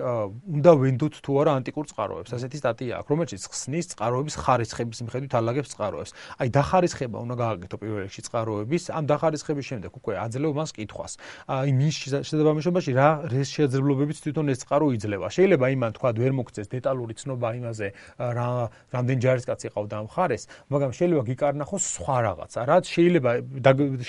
B: უნდა ვენდოთ თუ არა ანტიკურ წყაროებს ასეთი სტატია აქვს რომელშიც ხსნის წყაროების ხარისხების მიხედვით ალაგებს წყაროებს აი დახარისხება უნდა გააკეთო პირველ რიგში წყაროების ამ დახარისხების შემდეგ უკვე აძლევ მას კითხვას აი მის შესაძლებლობაში რა შესაძლებლობებით თვითონ ეს წყარო იძლევა შეიძლება იმან თქვა ვერ მოგწეს დეტალური ცნობა იმაზე რამდენი ჯარისკაცი ყავდა ამ ხარეს მაგრამ შეიძლება გიკარნახოს სხვა რაღაცა რაც შეიძლება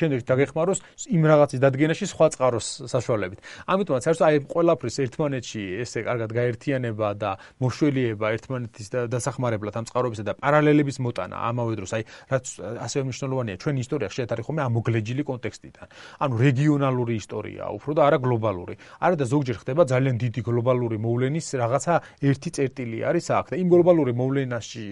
B: შემდეგ დაგეხმაროს იმ რაღაცის დადგენაში სხვა წყაროს საშუალებით ამიტომაც არის აი ყველაფრის ერთმანეთში ესე კარგად გაერთიანება და მოშველიება ერთმანეთის დასახმარებლად ამ წყაროებისა და პარალელების მოტანა ამავე დროს აი რაც ასევე მნიშვნელოვანია ჩვენი ისტორია ხშირად არის ხოლმე ამოგლეჯილი კონტექსტიდან ანუ რეგიონალური ისტორიაა უფრო და არა გლობალური არა და ზოგჯერ ხდება ძალიან დიდი გლობალური მოვლენის რაღაცა ერთი წერტილი არის აქ და იმ გლობალური მოვლენაში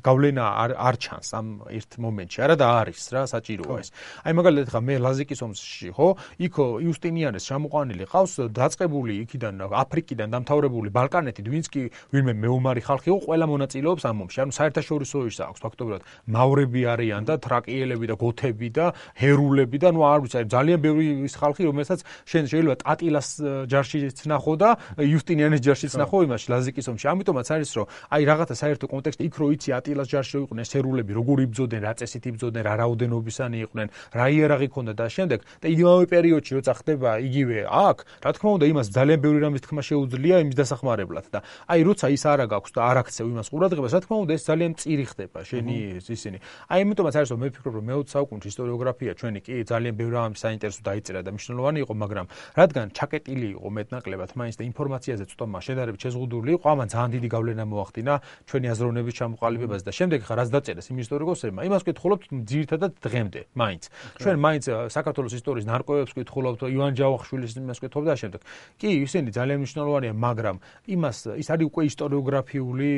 B: გავლენა არ ჩანს ამ ერთ მომენტში არა და არის რა საჭიროა ეს აი მაგალითად ხა მე ლაზიკის ომში ხო იქ იუსტინიანეს ჩამოყვანილი ყავს დაწყებული იქიდან აფრიკიდან დამთავრებული ბალკანეთით ვინც კი ვინმე მეომარი ხალხი იყო ყველა მონაწილეობს ამ ომში ანუ საერთაშორისო ის აქვს ფაქტობრივად მავრები არიან და თრაკიელები და გოთები და ჰერულები და ნუ არ ვიცი ძალიან ბევრი ის ხალხი რომელსაც შეიძლება ტატილას ჯარშიც ნახო და იუსტინიანეს ჯარშიც ნახო იმაში ლაზიკის ომში ამიტომაც არის რომ აი რაღაცა საერთო კონტექსტი იქ რო იცი ატილას ჯარში იყვნენ ჰერულები როგორ იბრძოდნენ რა წესით იბრძოდნენ რა რაოდენობისანი იყვნენ რა იარაღი ჰქონდა და შემდეგ და იმავე პერიოდში როცა ხდება იგივე აქ რა თქმა უნდა იმას ძალიან ბევრი რამის თქმა შეუძლია იმის დასახმარებლად და აი როცა ის არ აქვს და არ აქცევ იმას ყურადღებას რა თქმა უნდა ეს ძალიან მწირი ხდება შენი ისინი აი ამიტომაც არის რომ მე ვფიქრობ რომ მე-20 საუკუნეში ისტორიოგრაფია ჩვენი კი ძალიან ბევრი რამის საინტერესო დაიწერა და მნიშვნელოვანი იყო მაგრამ რადგან ჩაკეტილი იყო მეტნაკლებად მაინც და ინფორმაციაზე ცოტა შედარებით შეზღუდული იყო ამან ძალიან დიდი გავლენა მოახდინა ჩვენი აზროვნების ჩამოყალიბებაზე და შემდეგ ხა რაც დაწერეს იმ ისტორიკოსებმა იმას ვკითხულობთ ძირითადად დღემდე მაინც ჩვენ მაინც საქართველოს ისტორიის ნარკვევებს ვკითხულობთ ივან ჯავახიშვილის იმას ვკითხულობთ და შემდეგ კი ისინი ძალიან მნიშვნელოვანია მაგრამ იმას ის არის უკვე ისტორიოგრაფიული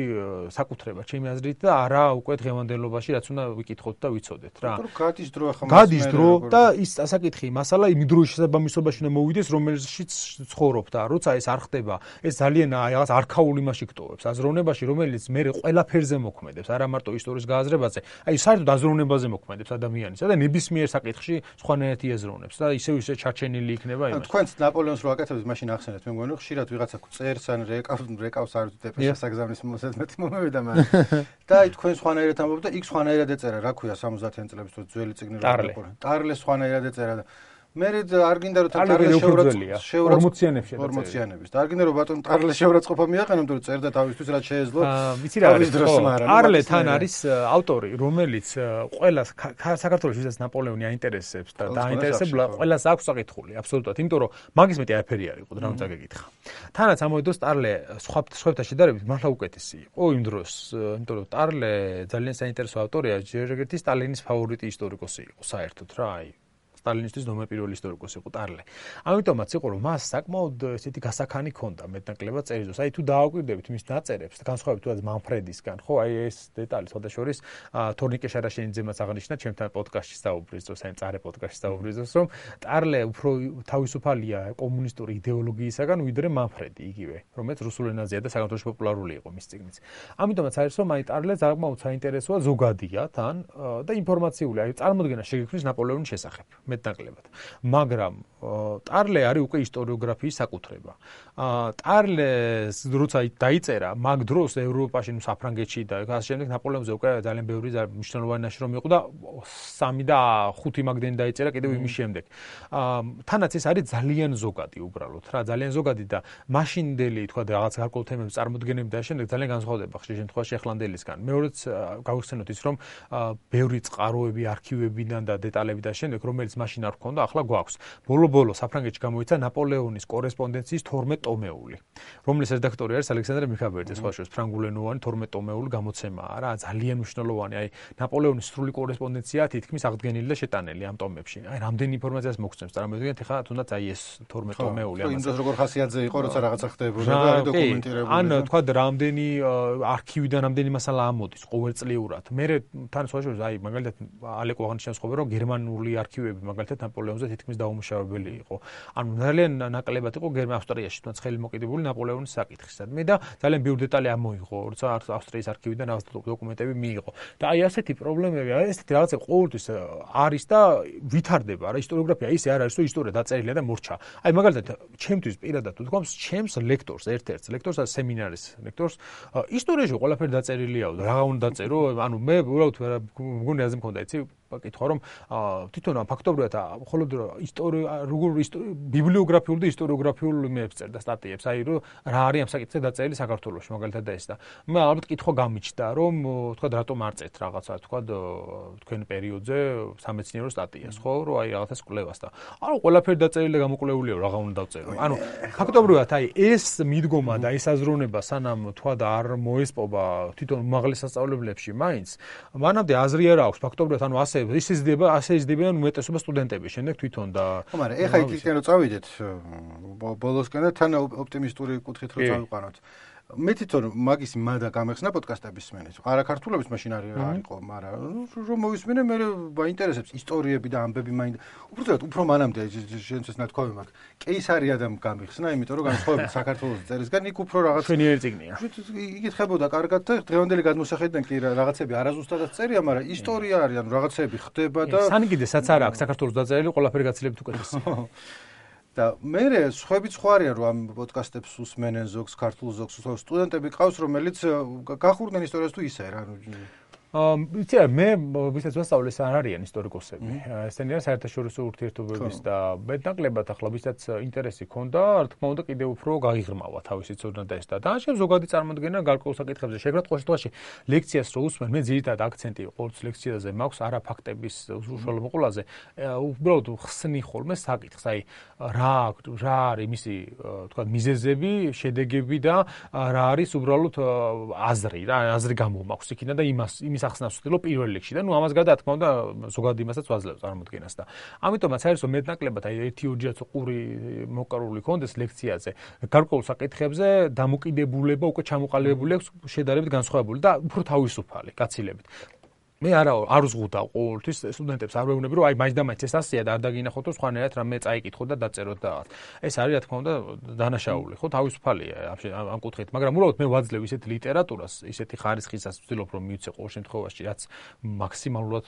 B: საკუთრება ჩემი აზრით და არა უკვე დღევანდელობაში რაც უნდა ვიკითხოთ და ვიცოდეთ რა
A: გადის დრო ახლა
B: გადის დრო და ის ასაკითხი მასალა იმ დროის შესაბამისობაში უნდა მოვიდეს რომელშიც ცხოვრობ და როცა ეს არ ხდება ეს ძალიან რაღაც არქაულ იმაში გტოვებს აზროვნებაში რომელიც მე ყველაფერზე მოქმედებს არა მარტო ისტორიის გააზრებაზე აი საერთოდ აზროვნებაზე მოქმედებს ადამიანისა და ნებისმიერ საკითხში სხვანაირად იაზროვნებს და ისევ ჩარჩენილი იქნება იმას
A: თქვენც ნაპოლეონს რო აკეთებთ მაშინ ახსენეთ მე მგონი ხშირად ვიღაცა წერს ან რეკავს არ ვიცი დეპეშას აგზავნის მოსადმეთი მომევიდა მაგრამ და აი თქვენ სხვანაირად ამბობთ და იქ სხვანაირად ეწერა რა ქვია 70-იან წლების თუ ძველი წიგნი რო ტარლეს სხვანაირად ეწერა და მე არ გინდა რომ ტარლეს
B: შევრაცხყოფა
A: 40-იანების და არ გინდა რომ ბატონ ტარლეს შევრაცხყოფა მიაყენო იმიტომ რომ წერდა თავისთვის რაც შეეძლო
B: ვიცი რა არის არლე თან არის ავტორი რომელიც ყველა საქართველოს ვისაც ნაპოლეონი აინტერესებს და დაინტერესებს ყველას აქვს საკითხული აბსოლუტურად იმიტომ რომ მაგის მეტი არაფერი არ იყო რა უნდა გეკითხა თანაც ამავე დროს ტარლე სხვებთან შედარებით მართლა უკეთესი იყო იმ დროს იმიტომ რომ ტარლე ძალიან საინტერესო ავტორია ჯერ ერთი სტალინის ფავორიტი ისტორიკოსი იყო საერთოდ რა აი სტალინისტის ნომერ პირველი ისტორიკოსი იყო ტარლე. ამიტომაც იყო რომ მას საკმაოდ ესეთი გასახანი ჰქონდა მეტნაკლებად წერილს. აი თუ დააკვირდებით მის დაწერებს, განსხვავებით თუნდაც მანფრედისგან, ხო, აი ეს დეტალი სხვადასხვის თორნიკე შარაშენიძემაც აღნიშნა ჩემთან პოდკასტში საუბრის დროს, აი წარე პოდკასტში საუბრის დროს, რომ ტარლე უფრო თავისუფალია კომუნისტური იდეოლოგიისაგან ვიდრე მანფრედი იგივე, რომელიც რუსულ ენაზეა და საქართველოში პოპულარული იყო მის წიგნიც. ამიტომაც არის რომ აი ტარლე საკმაოდ საინტერესოა ზოგადია თან და ინფორმაციული, აი წარმოდგენა შეგექმნის ნაპოლეონის შესახებ. მეტნაკლებად. მაგრამ ტარლე არის უკვე ისტორიოგრაფიის საკუთრება. ტარლეს როცა დაიწერა, მაგ დროს ევროპაში, საფრანგეთში და ასე შემდეგ ნაპოლეონზე უკვე ძალიან ბევრი მნიშვნელოვანი ნაშრომი იყო და 3 და 5 მაგდენი დაიწერა კიდევ იმის შემდეგ. თანაც ეს არის ძალიან ზოგადი უბრალოდ რა, ძალიან ზოგადი და მაშინდელი თქვა რაღაც გარკვეულ თემებს წარმოდგენები და შემდეგ ძალიან განსხვავდება ხშირ შემთხვევაში ახლანდელისგან. მეორეც გავიხსენოთ ის რომ ბევრი წყაროები არქივებიდან და დეტალები და შემდეგ რომელიც მაშინ არ ჰქონდა, ახლა გვაქვს. ბოლო საფრანგეთში გამოიცა ნაპოლეონის კორესპონდენციის 12 ტომეული, რომლის რედაქტორი არის ალექსანდრე მიხაბერიძე, სხვა შორის ფრანგულენოვანი 12 ტომეული გამოცემაა რა, ძალიან მნიშვნელოვანი. აი ნაპოლეონის სრული კორესპონდენცია თითქმის აღდგენილი და შეტანილი ამ ტომებში. აი რამდენი ინფორმაციას მოგცემს, წარმოვიდგინეთ ახლა თუნდაც აი ეს 12 ტომეული
A: ამას. იმ დროს როგორ ხასიათზე იყო, როცა რაღაცა ხდებოდა და არის დოკუმენტირებული.
B: ან თქვა რამდენი არქივიდან რამდენი მასალა ამოდის ყოველწლიურად. მე თან სხვა შორის აი მაგალითად ალეკო აღნიშნავს ხოლმე რომ გერმანული არქივები მაგალითად ნაპოლეონზე თითქმის დაუმუშავებელი იყო. ანუ ძალიან ნაკლებად იყო ავსტრიაში თუნდაც ხელი მოკიდებული ნაპოლეონის საკითხისადმი და ძალიან ბევრი დეტალი ამოიღო, როცა ავსტრიის არქივიდან რაღაც დოკუმენტები მიიღო. და აი ასეთი პრობლემები, აი ესეთი რაღაცები ყოველთვის არის და ვითარდება რა ისტორიოგრაფია ისე არ არის რომ ისტორია დაწერილია და მორჩა. აი მაგალითად ჩემთვის პირადად ვთქვამს, ჩემს ლექტორს, ერთ-ერთ ლექტორს, სემინარის ლექტორს ისტორიაში ყველაფერი დაწერილიაო და რა უნდა დაწერო, ანუ მე უბრალოდ მგონი აზრი მქონდა, იცი კითხვა რომ თვითონ ფაქტობრივად მხოლოდ ბიბლიოგრაფიულ და ისტორიოგრაფიულ იმებს წერდა სტატიებს, აი რომ რა არის ამ საკითხზე დაწერილი საქართველოში მაგალითად და ეს და მე ალბათ კითხვა გამიჩნდა რომ თქვა რატომ არ წერთ რაღაცა თქვა თქვენ პერიოდზე სამეცნიერო სტატიას, ხო, რომ აი რაღაცას კვლევას და ანუ ყველაფერი დაწერილი და გამოკვლეულია რა უნდა დავწერო. ანუ ფაქტობრივად აი ეს მიდგომა და ეს აზროვნება სანამ თქვა და არ მოესპობა თვითონ უმაღლეს სასწავლებლებში მაინც მანამდე აზრი არ აქვს ფაქტობრივად ანუ ასე იზრდებიან უმეტესობა სტუდენტები შემდეგ თვითონ და
A: ხო მაგრამ ეხა იქიდან რომ წავიდეთ ბოლოსკენ და თან ოპტიმისტური კუთხით რომ წავიყვანოთ მე თვითონ მაგის მადა გამეხსნა პოდკასტების სმენის. არა ქართულების მაშინ არისო, მაგრამ რომ მოვისმინე მე მაინტერესებს ისტორიები და ამბები უბრალოდ უფრო მანამდე შენც ნათქვამი მაქვს. კეისარიადამ გამიხსნა, იმიტომ რომ განსხვავებით საქართველოს წერისგან იქ უფრო რაღაც
B: შვენიერი წიგნია.
A: იკითხებოდა კარგად და დღევანდელი გადმოსახედიდან კი რაღაცები არაზუსტადაც წერია, მაგრამ ისტორია არის, ანუ რაღაცები ხდება და
B: სანიგიძესაც არ აქვს საქართველოს დაწერილი ყველაფერი გაცილებით უკეთესი.
A: და მე სხვაებიც სხვა არიან რომ ამ პოდკასტებს უსმენენ ზოგს ქართულ ზოგს სტუდენტები ყავს რომელიც გახურდნენ ისტორიას თუ ისე რა
B: იცი მე ვისაც ვასწავლე არ არიან ისტორიკოსები. ესენი არის საერთაშორისო ურთიერთობების და მეტნაკლებად ახლა ვისაც ინტერესი ქონდა, რა თქმა უნდა კიდევ უფრო გაიღრმავა თავისი ცოდნა და ეს და ამ ზოგადი წარმოდგენა გარკვეულ საკითხებზე შეგრად ყოველ შემთხვევაში ლექციას რო უსმენ მე ძირითადად აქცენტი ყოველთვის ლექციაზე მაქვს არა ფაქტების უშუალო მოყოლაზე უბრალოდ ხსნი ხოლმე საკითხს აი რა არის მისი თქვა მიზეზები შედეგები და რა არის უბრალოდ აზრი გამომაქვს იქიდან და იმის ახსნას ვცდილობ პირველ რიგში და ნუ ამას გარდა რა თქმა უნდა ზოგადად იმასაც ვაძლევ წარმოდგენას და ამიტომაც არის რომ მეტნაკლებად აი 1-2 ყური მოკარული კონდეს ლექციაზე გარკვეულ საკითხებზე დამოკიდებულება უკვე ჩამოყალიბებული აქვს შედარებით განსხვავებული და უფრო თავისუფალი გაცილებით მე არ უზღუდავ ყოველთვის სტუდენტებს არ ვეუბნები რომ აი მაინც ეს ასეა და არ დაგინახოთ რომ სხვანაირად რამე წაიკითხოთ და დაწეროთ და ეს არის რა თქმა უნდა დანაშაული ხო თავისუფალია ამ კუთხით მაგრამ უბრალოდ მე ვაძლევ ისეთ ლიტერატურას ისეთი ხარისხისას ვცდილობ რომ მივცე ყოველ შემთხვევაში რაც მაქსიმალურად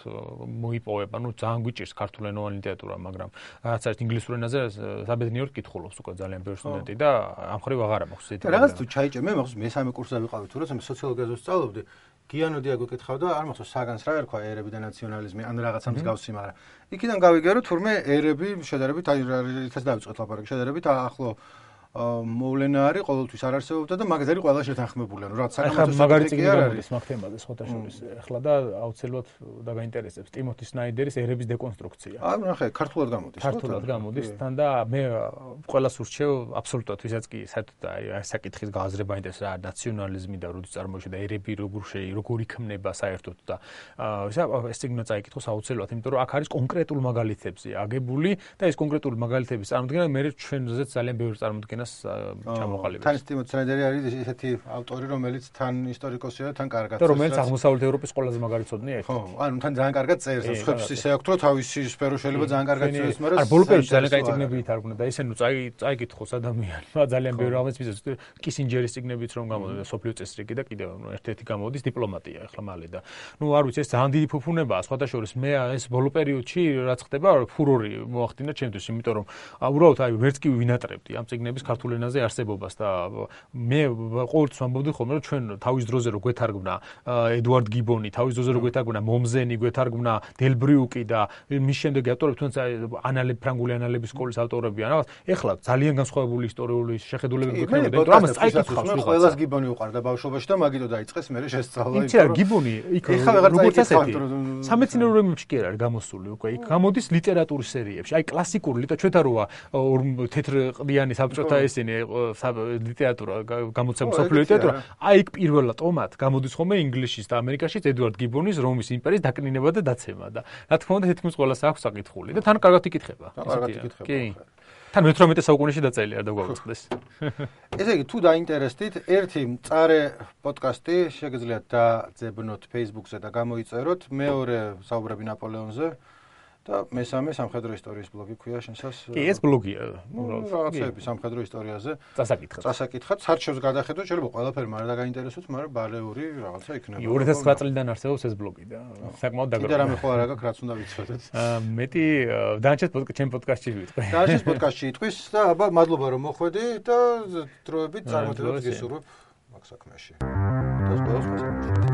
B: მოიპოვება ნუ ძალიან გვიჭირს ქართულენოვანი ლიტერატურა მაგრამ რაც არის ინგლისურ ენაზე საბედნიეროდ კითხულობს უკვე ძალიან ბევრი სტუდენტი და ამ ხრივ აღარა მაქვს ისეთი
A: რაღაც თუ ჩაიჭე მე მახსოვს მესამე კურსზე ვიყავი თუ როცა მე სოციოლოგიას ვსწავლობდი გიანო დიაგო კითხავდა არ მახსოვს საგანს რა ერქვა ერები და ნაციონალიზმი ან რაღაცა მსგავსი მაგრამ იქიდან გავიგე რომ თურმე ერები შედარებით აი რითაც დავიწყეთ ლაპარაკი შედარებით ახლო მოვლენა არის ყოველთვის არ არსებობდა და მაგაზერი ყველა შეთანხმებული ანუ რაღაც
B: საკამათო მაგარი წიგნი გამოდის მაგ თემაზე სხვათა შორის ახლა და აუცილებლად დაგაინტერესებს ტიმოთი სნაიდერის ერების დეკონსტრუქცია
A: აი ნახე ქართულად
B: გამოდის თან და მე ყველას ურჩევ აბსოლუტურად ვისაც კი საერთოდ აი საკითხის გააზრება ინტერესს რა ნაციონალიზმი და როდის წარმოიშვა და ერები როგორ იქმნება საერთოდ და ეს წიგნი წაიკითხოს აუცილებლად იმიტომ რომ აქ არის კონკრეტულ მაგალითებზე აგებული და ეს კონკრეტული მაგალითების წარმოდგენა მე ჩვენზეც ძალიან ბევრი წარმოდგენა წარდგენას ჩამოყალიბებს.
A: თან ტიმოთი სნაიდერი არის ესეთი ავტორი, რომელიც თან ისტორიკოსია და თან კარგად
B: წერს. და რომელიც აღმოსავლეთ ევროპის ყველაზე მაგარი ცოდნია ერთ.
A: ხო, ანუ თან ძალიან კარგად წერს. სხვებს ისე აქვს, რომ თავისი სფერო შეიძლება ძალიან კარგად წერს, მაგრამ
B: არ ბოლო პერიოდში ძალიან კაი წიგნები ითარგმნა და ესე ნუ წაიკითხოს ადამიანმა ძალიან ბევრი რამეს მისცეს. კისინჯერის წიგნებიც რომ გამოდოდა სოფლიო წესრიგი და კიდევ ერთ-ერთი გამოდის დიპლომატია ახლა მალე და ნუ არ ვიცი ეს ძალიან დიდი ფუფუნებაა სხვადასხვა მე ეს ბოლო პერიოდში რაც ხდება ფურორი მოახდინა ჩემთვის იმიტომ რომ უბრალოდ აი ვერც კი ვინატრებდი ამ წიგნების ქართულ ენაზე არსებობას და მე ყოველთვის ვამბობდი ხოლმე რომ ჩვენ თავის დროზე რო გვეთარგმნა ედუარდ გიბონი თავის დროზე რო გვეთარგმნა მომზენი გვეთარგმნა დელბრიუკი და მის შემდეგ ავტორები თუნდაც ფრანგული ანალების სკოლის ავტორები ან ეხლა ძალიან განსხვავებული ისტორიული შეხედულებები გვექნებოდა იმიტომ რომ ამას წაიკითხავს
A: ყველას გიბონი უყარდა ბავშვობაში და მაგითო დაიწყეს მე შესწავლა
B: იცი რა გიბონი იქ როგორც ასეთი სამეცნიერო რამებში კი არ არის გამოსული უკვე იქ გამოდის ლიტერატურის სერიებში აი კლასიკური ჩვენ როა თეთრ ყდიანი საბჭოთა ესენი ლიტერატურა გამოცემა სოფლიო ლიტერატურა აი იქ პირველად ტომად გამოდის ხოლმე ინგლისში და ამერიკაში ედუარდ გიბონის რომის იმპერიის დაკნინება და დაცემა და რა თქმა უნდა თითქმის ყველას აქვს საკითხული და თან კარგად იკითხება კი თან მე-18 საუკუნეში დაწერილი არ დაგვაუწყდეს
A: ესე იგი თუ დაინტერესდით ერთი მწარე პოდკასტი შეგიძლიათ დაძებნოთ Facebook-ზე და გამოიწეროთ მეორე საუბრები ნაპოლეონზე და მესამე სამხედრო ისტორიის ბლოგი ქვია შენსას
B: კი ეს ბლოგია
A: რაღაცები სამხედრო ისტორიაზე
B: წასაკითხად
A: სარჩევს გადახედოთ შეიძლება ყველაფერი მაგრამ და გაინტერესოთ მაგრამ ბალეული რაღაცა იქნება
B: 2009 წლიდან არსებობს ეს ბლოგი და საკმაოდ
A: დაგროვა კიდე რამე ხო არ აქვს რაც უნდა ვიცოდეთ
B: მეტი დანარჩენ პოდკასტში ვიტყვი
A: დანარჩენ პოდკასტში იტყვის და აბა მადლობა რომ მოხვედი და დროებით წარმატებებს გისურვებ მაგ საქმეში და სპორტს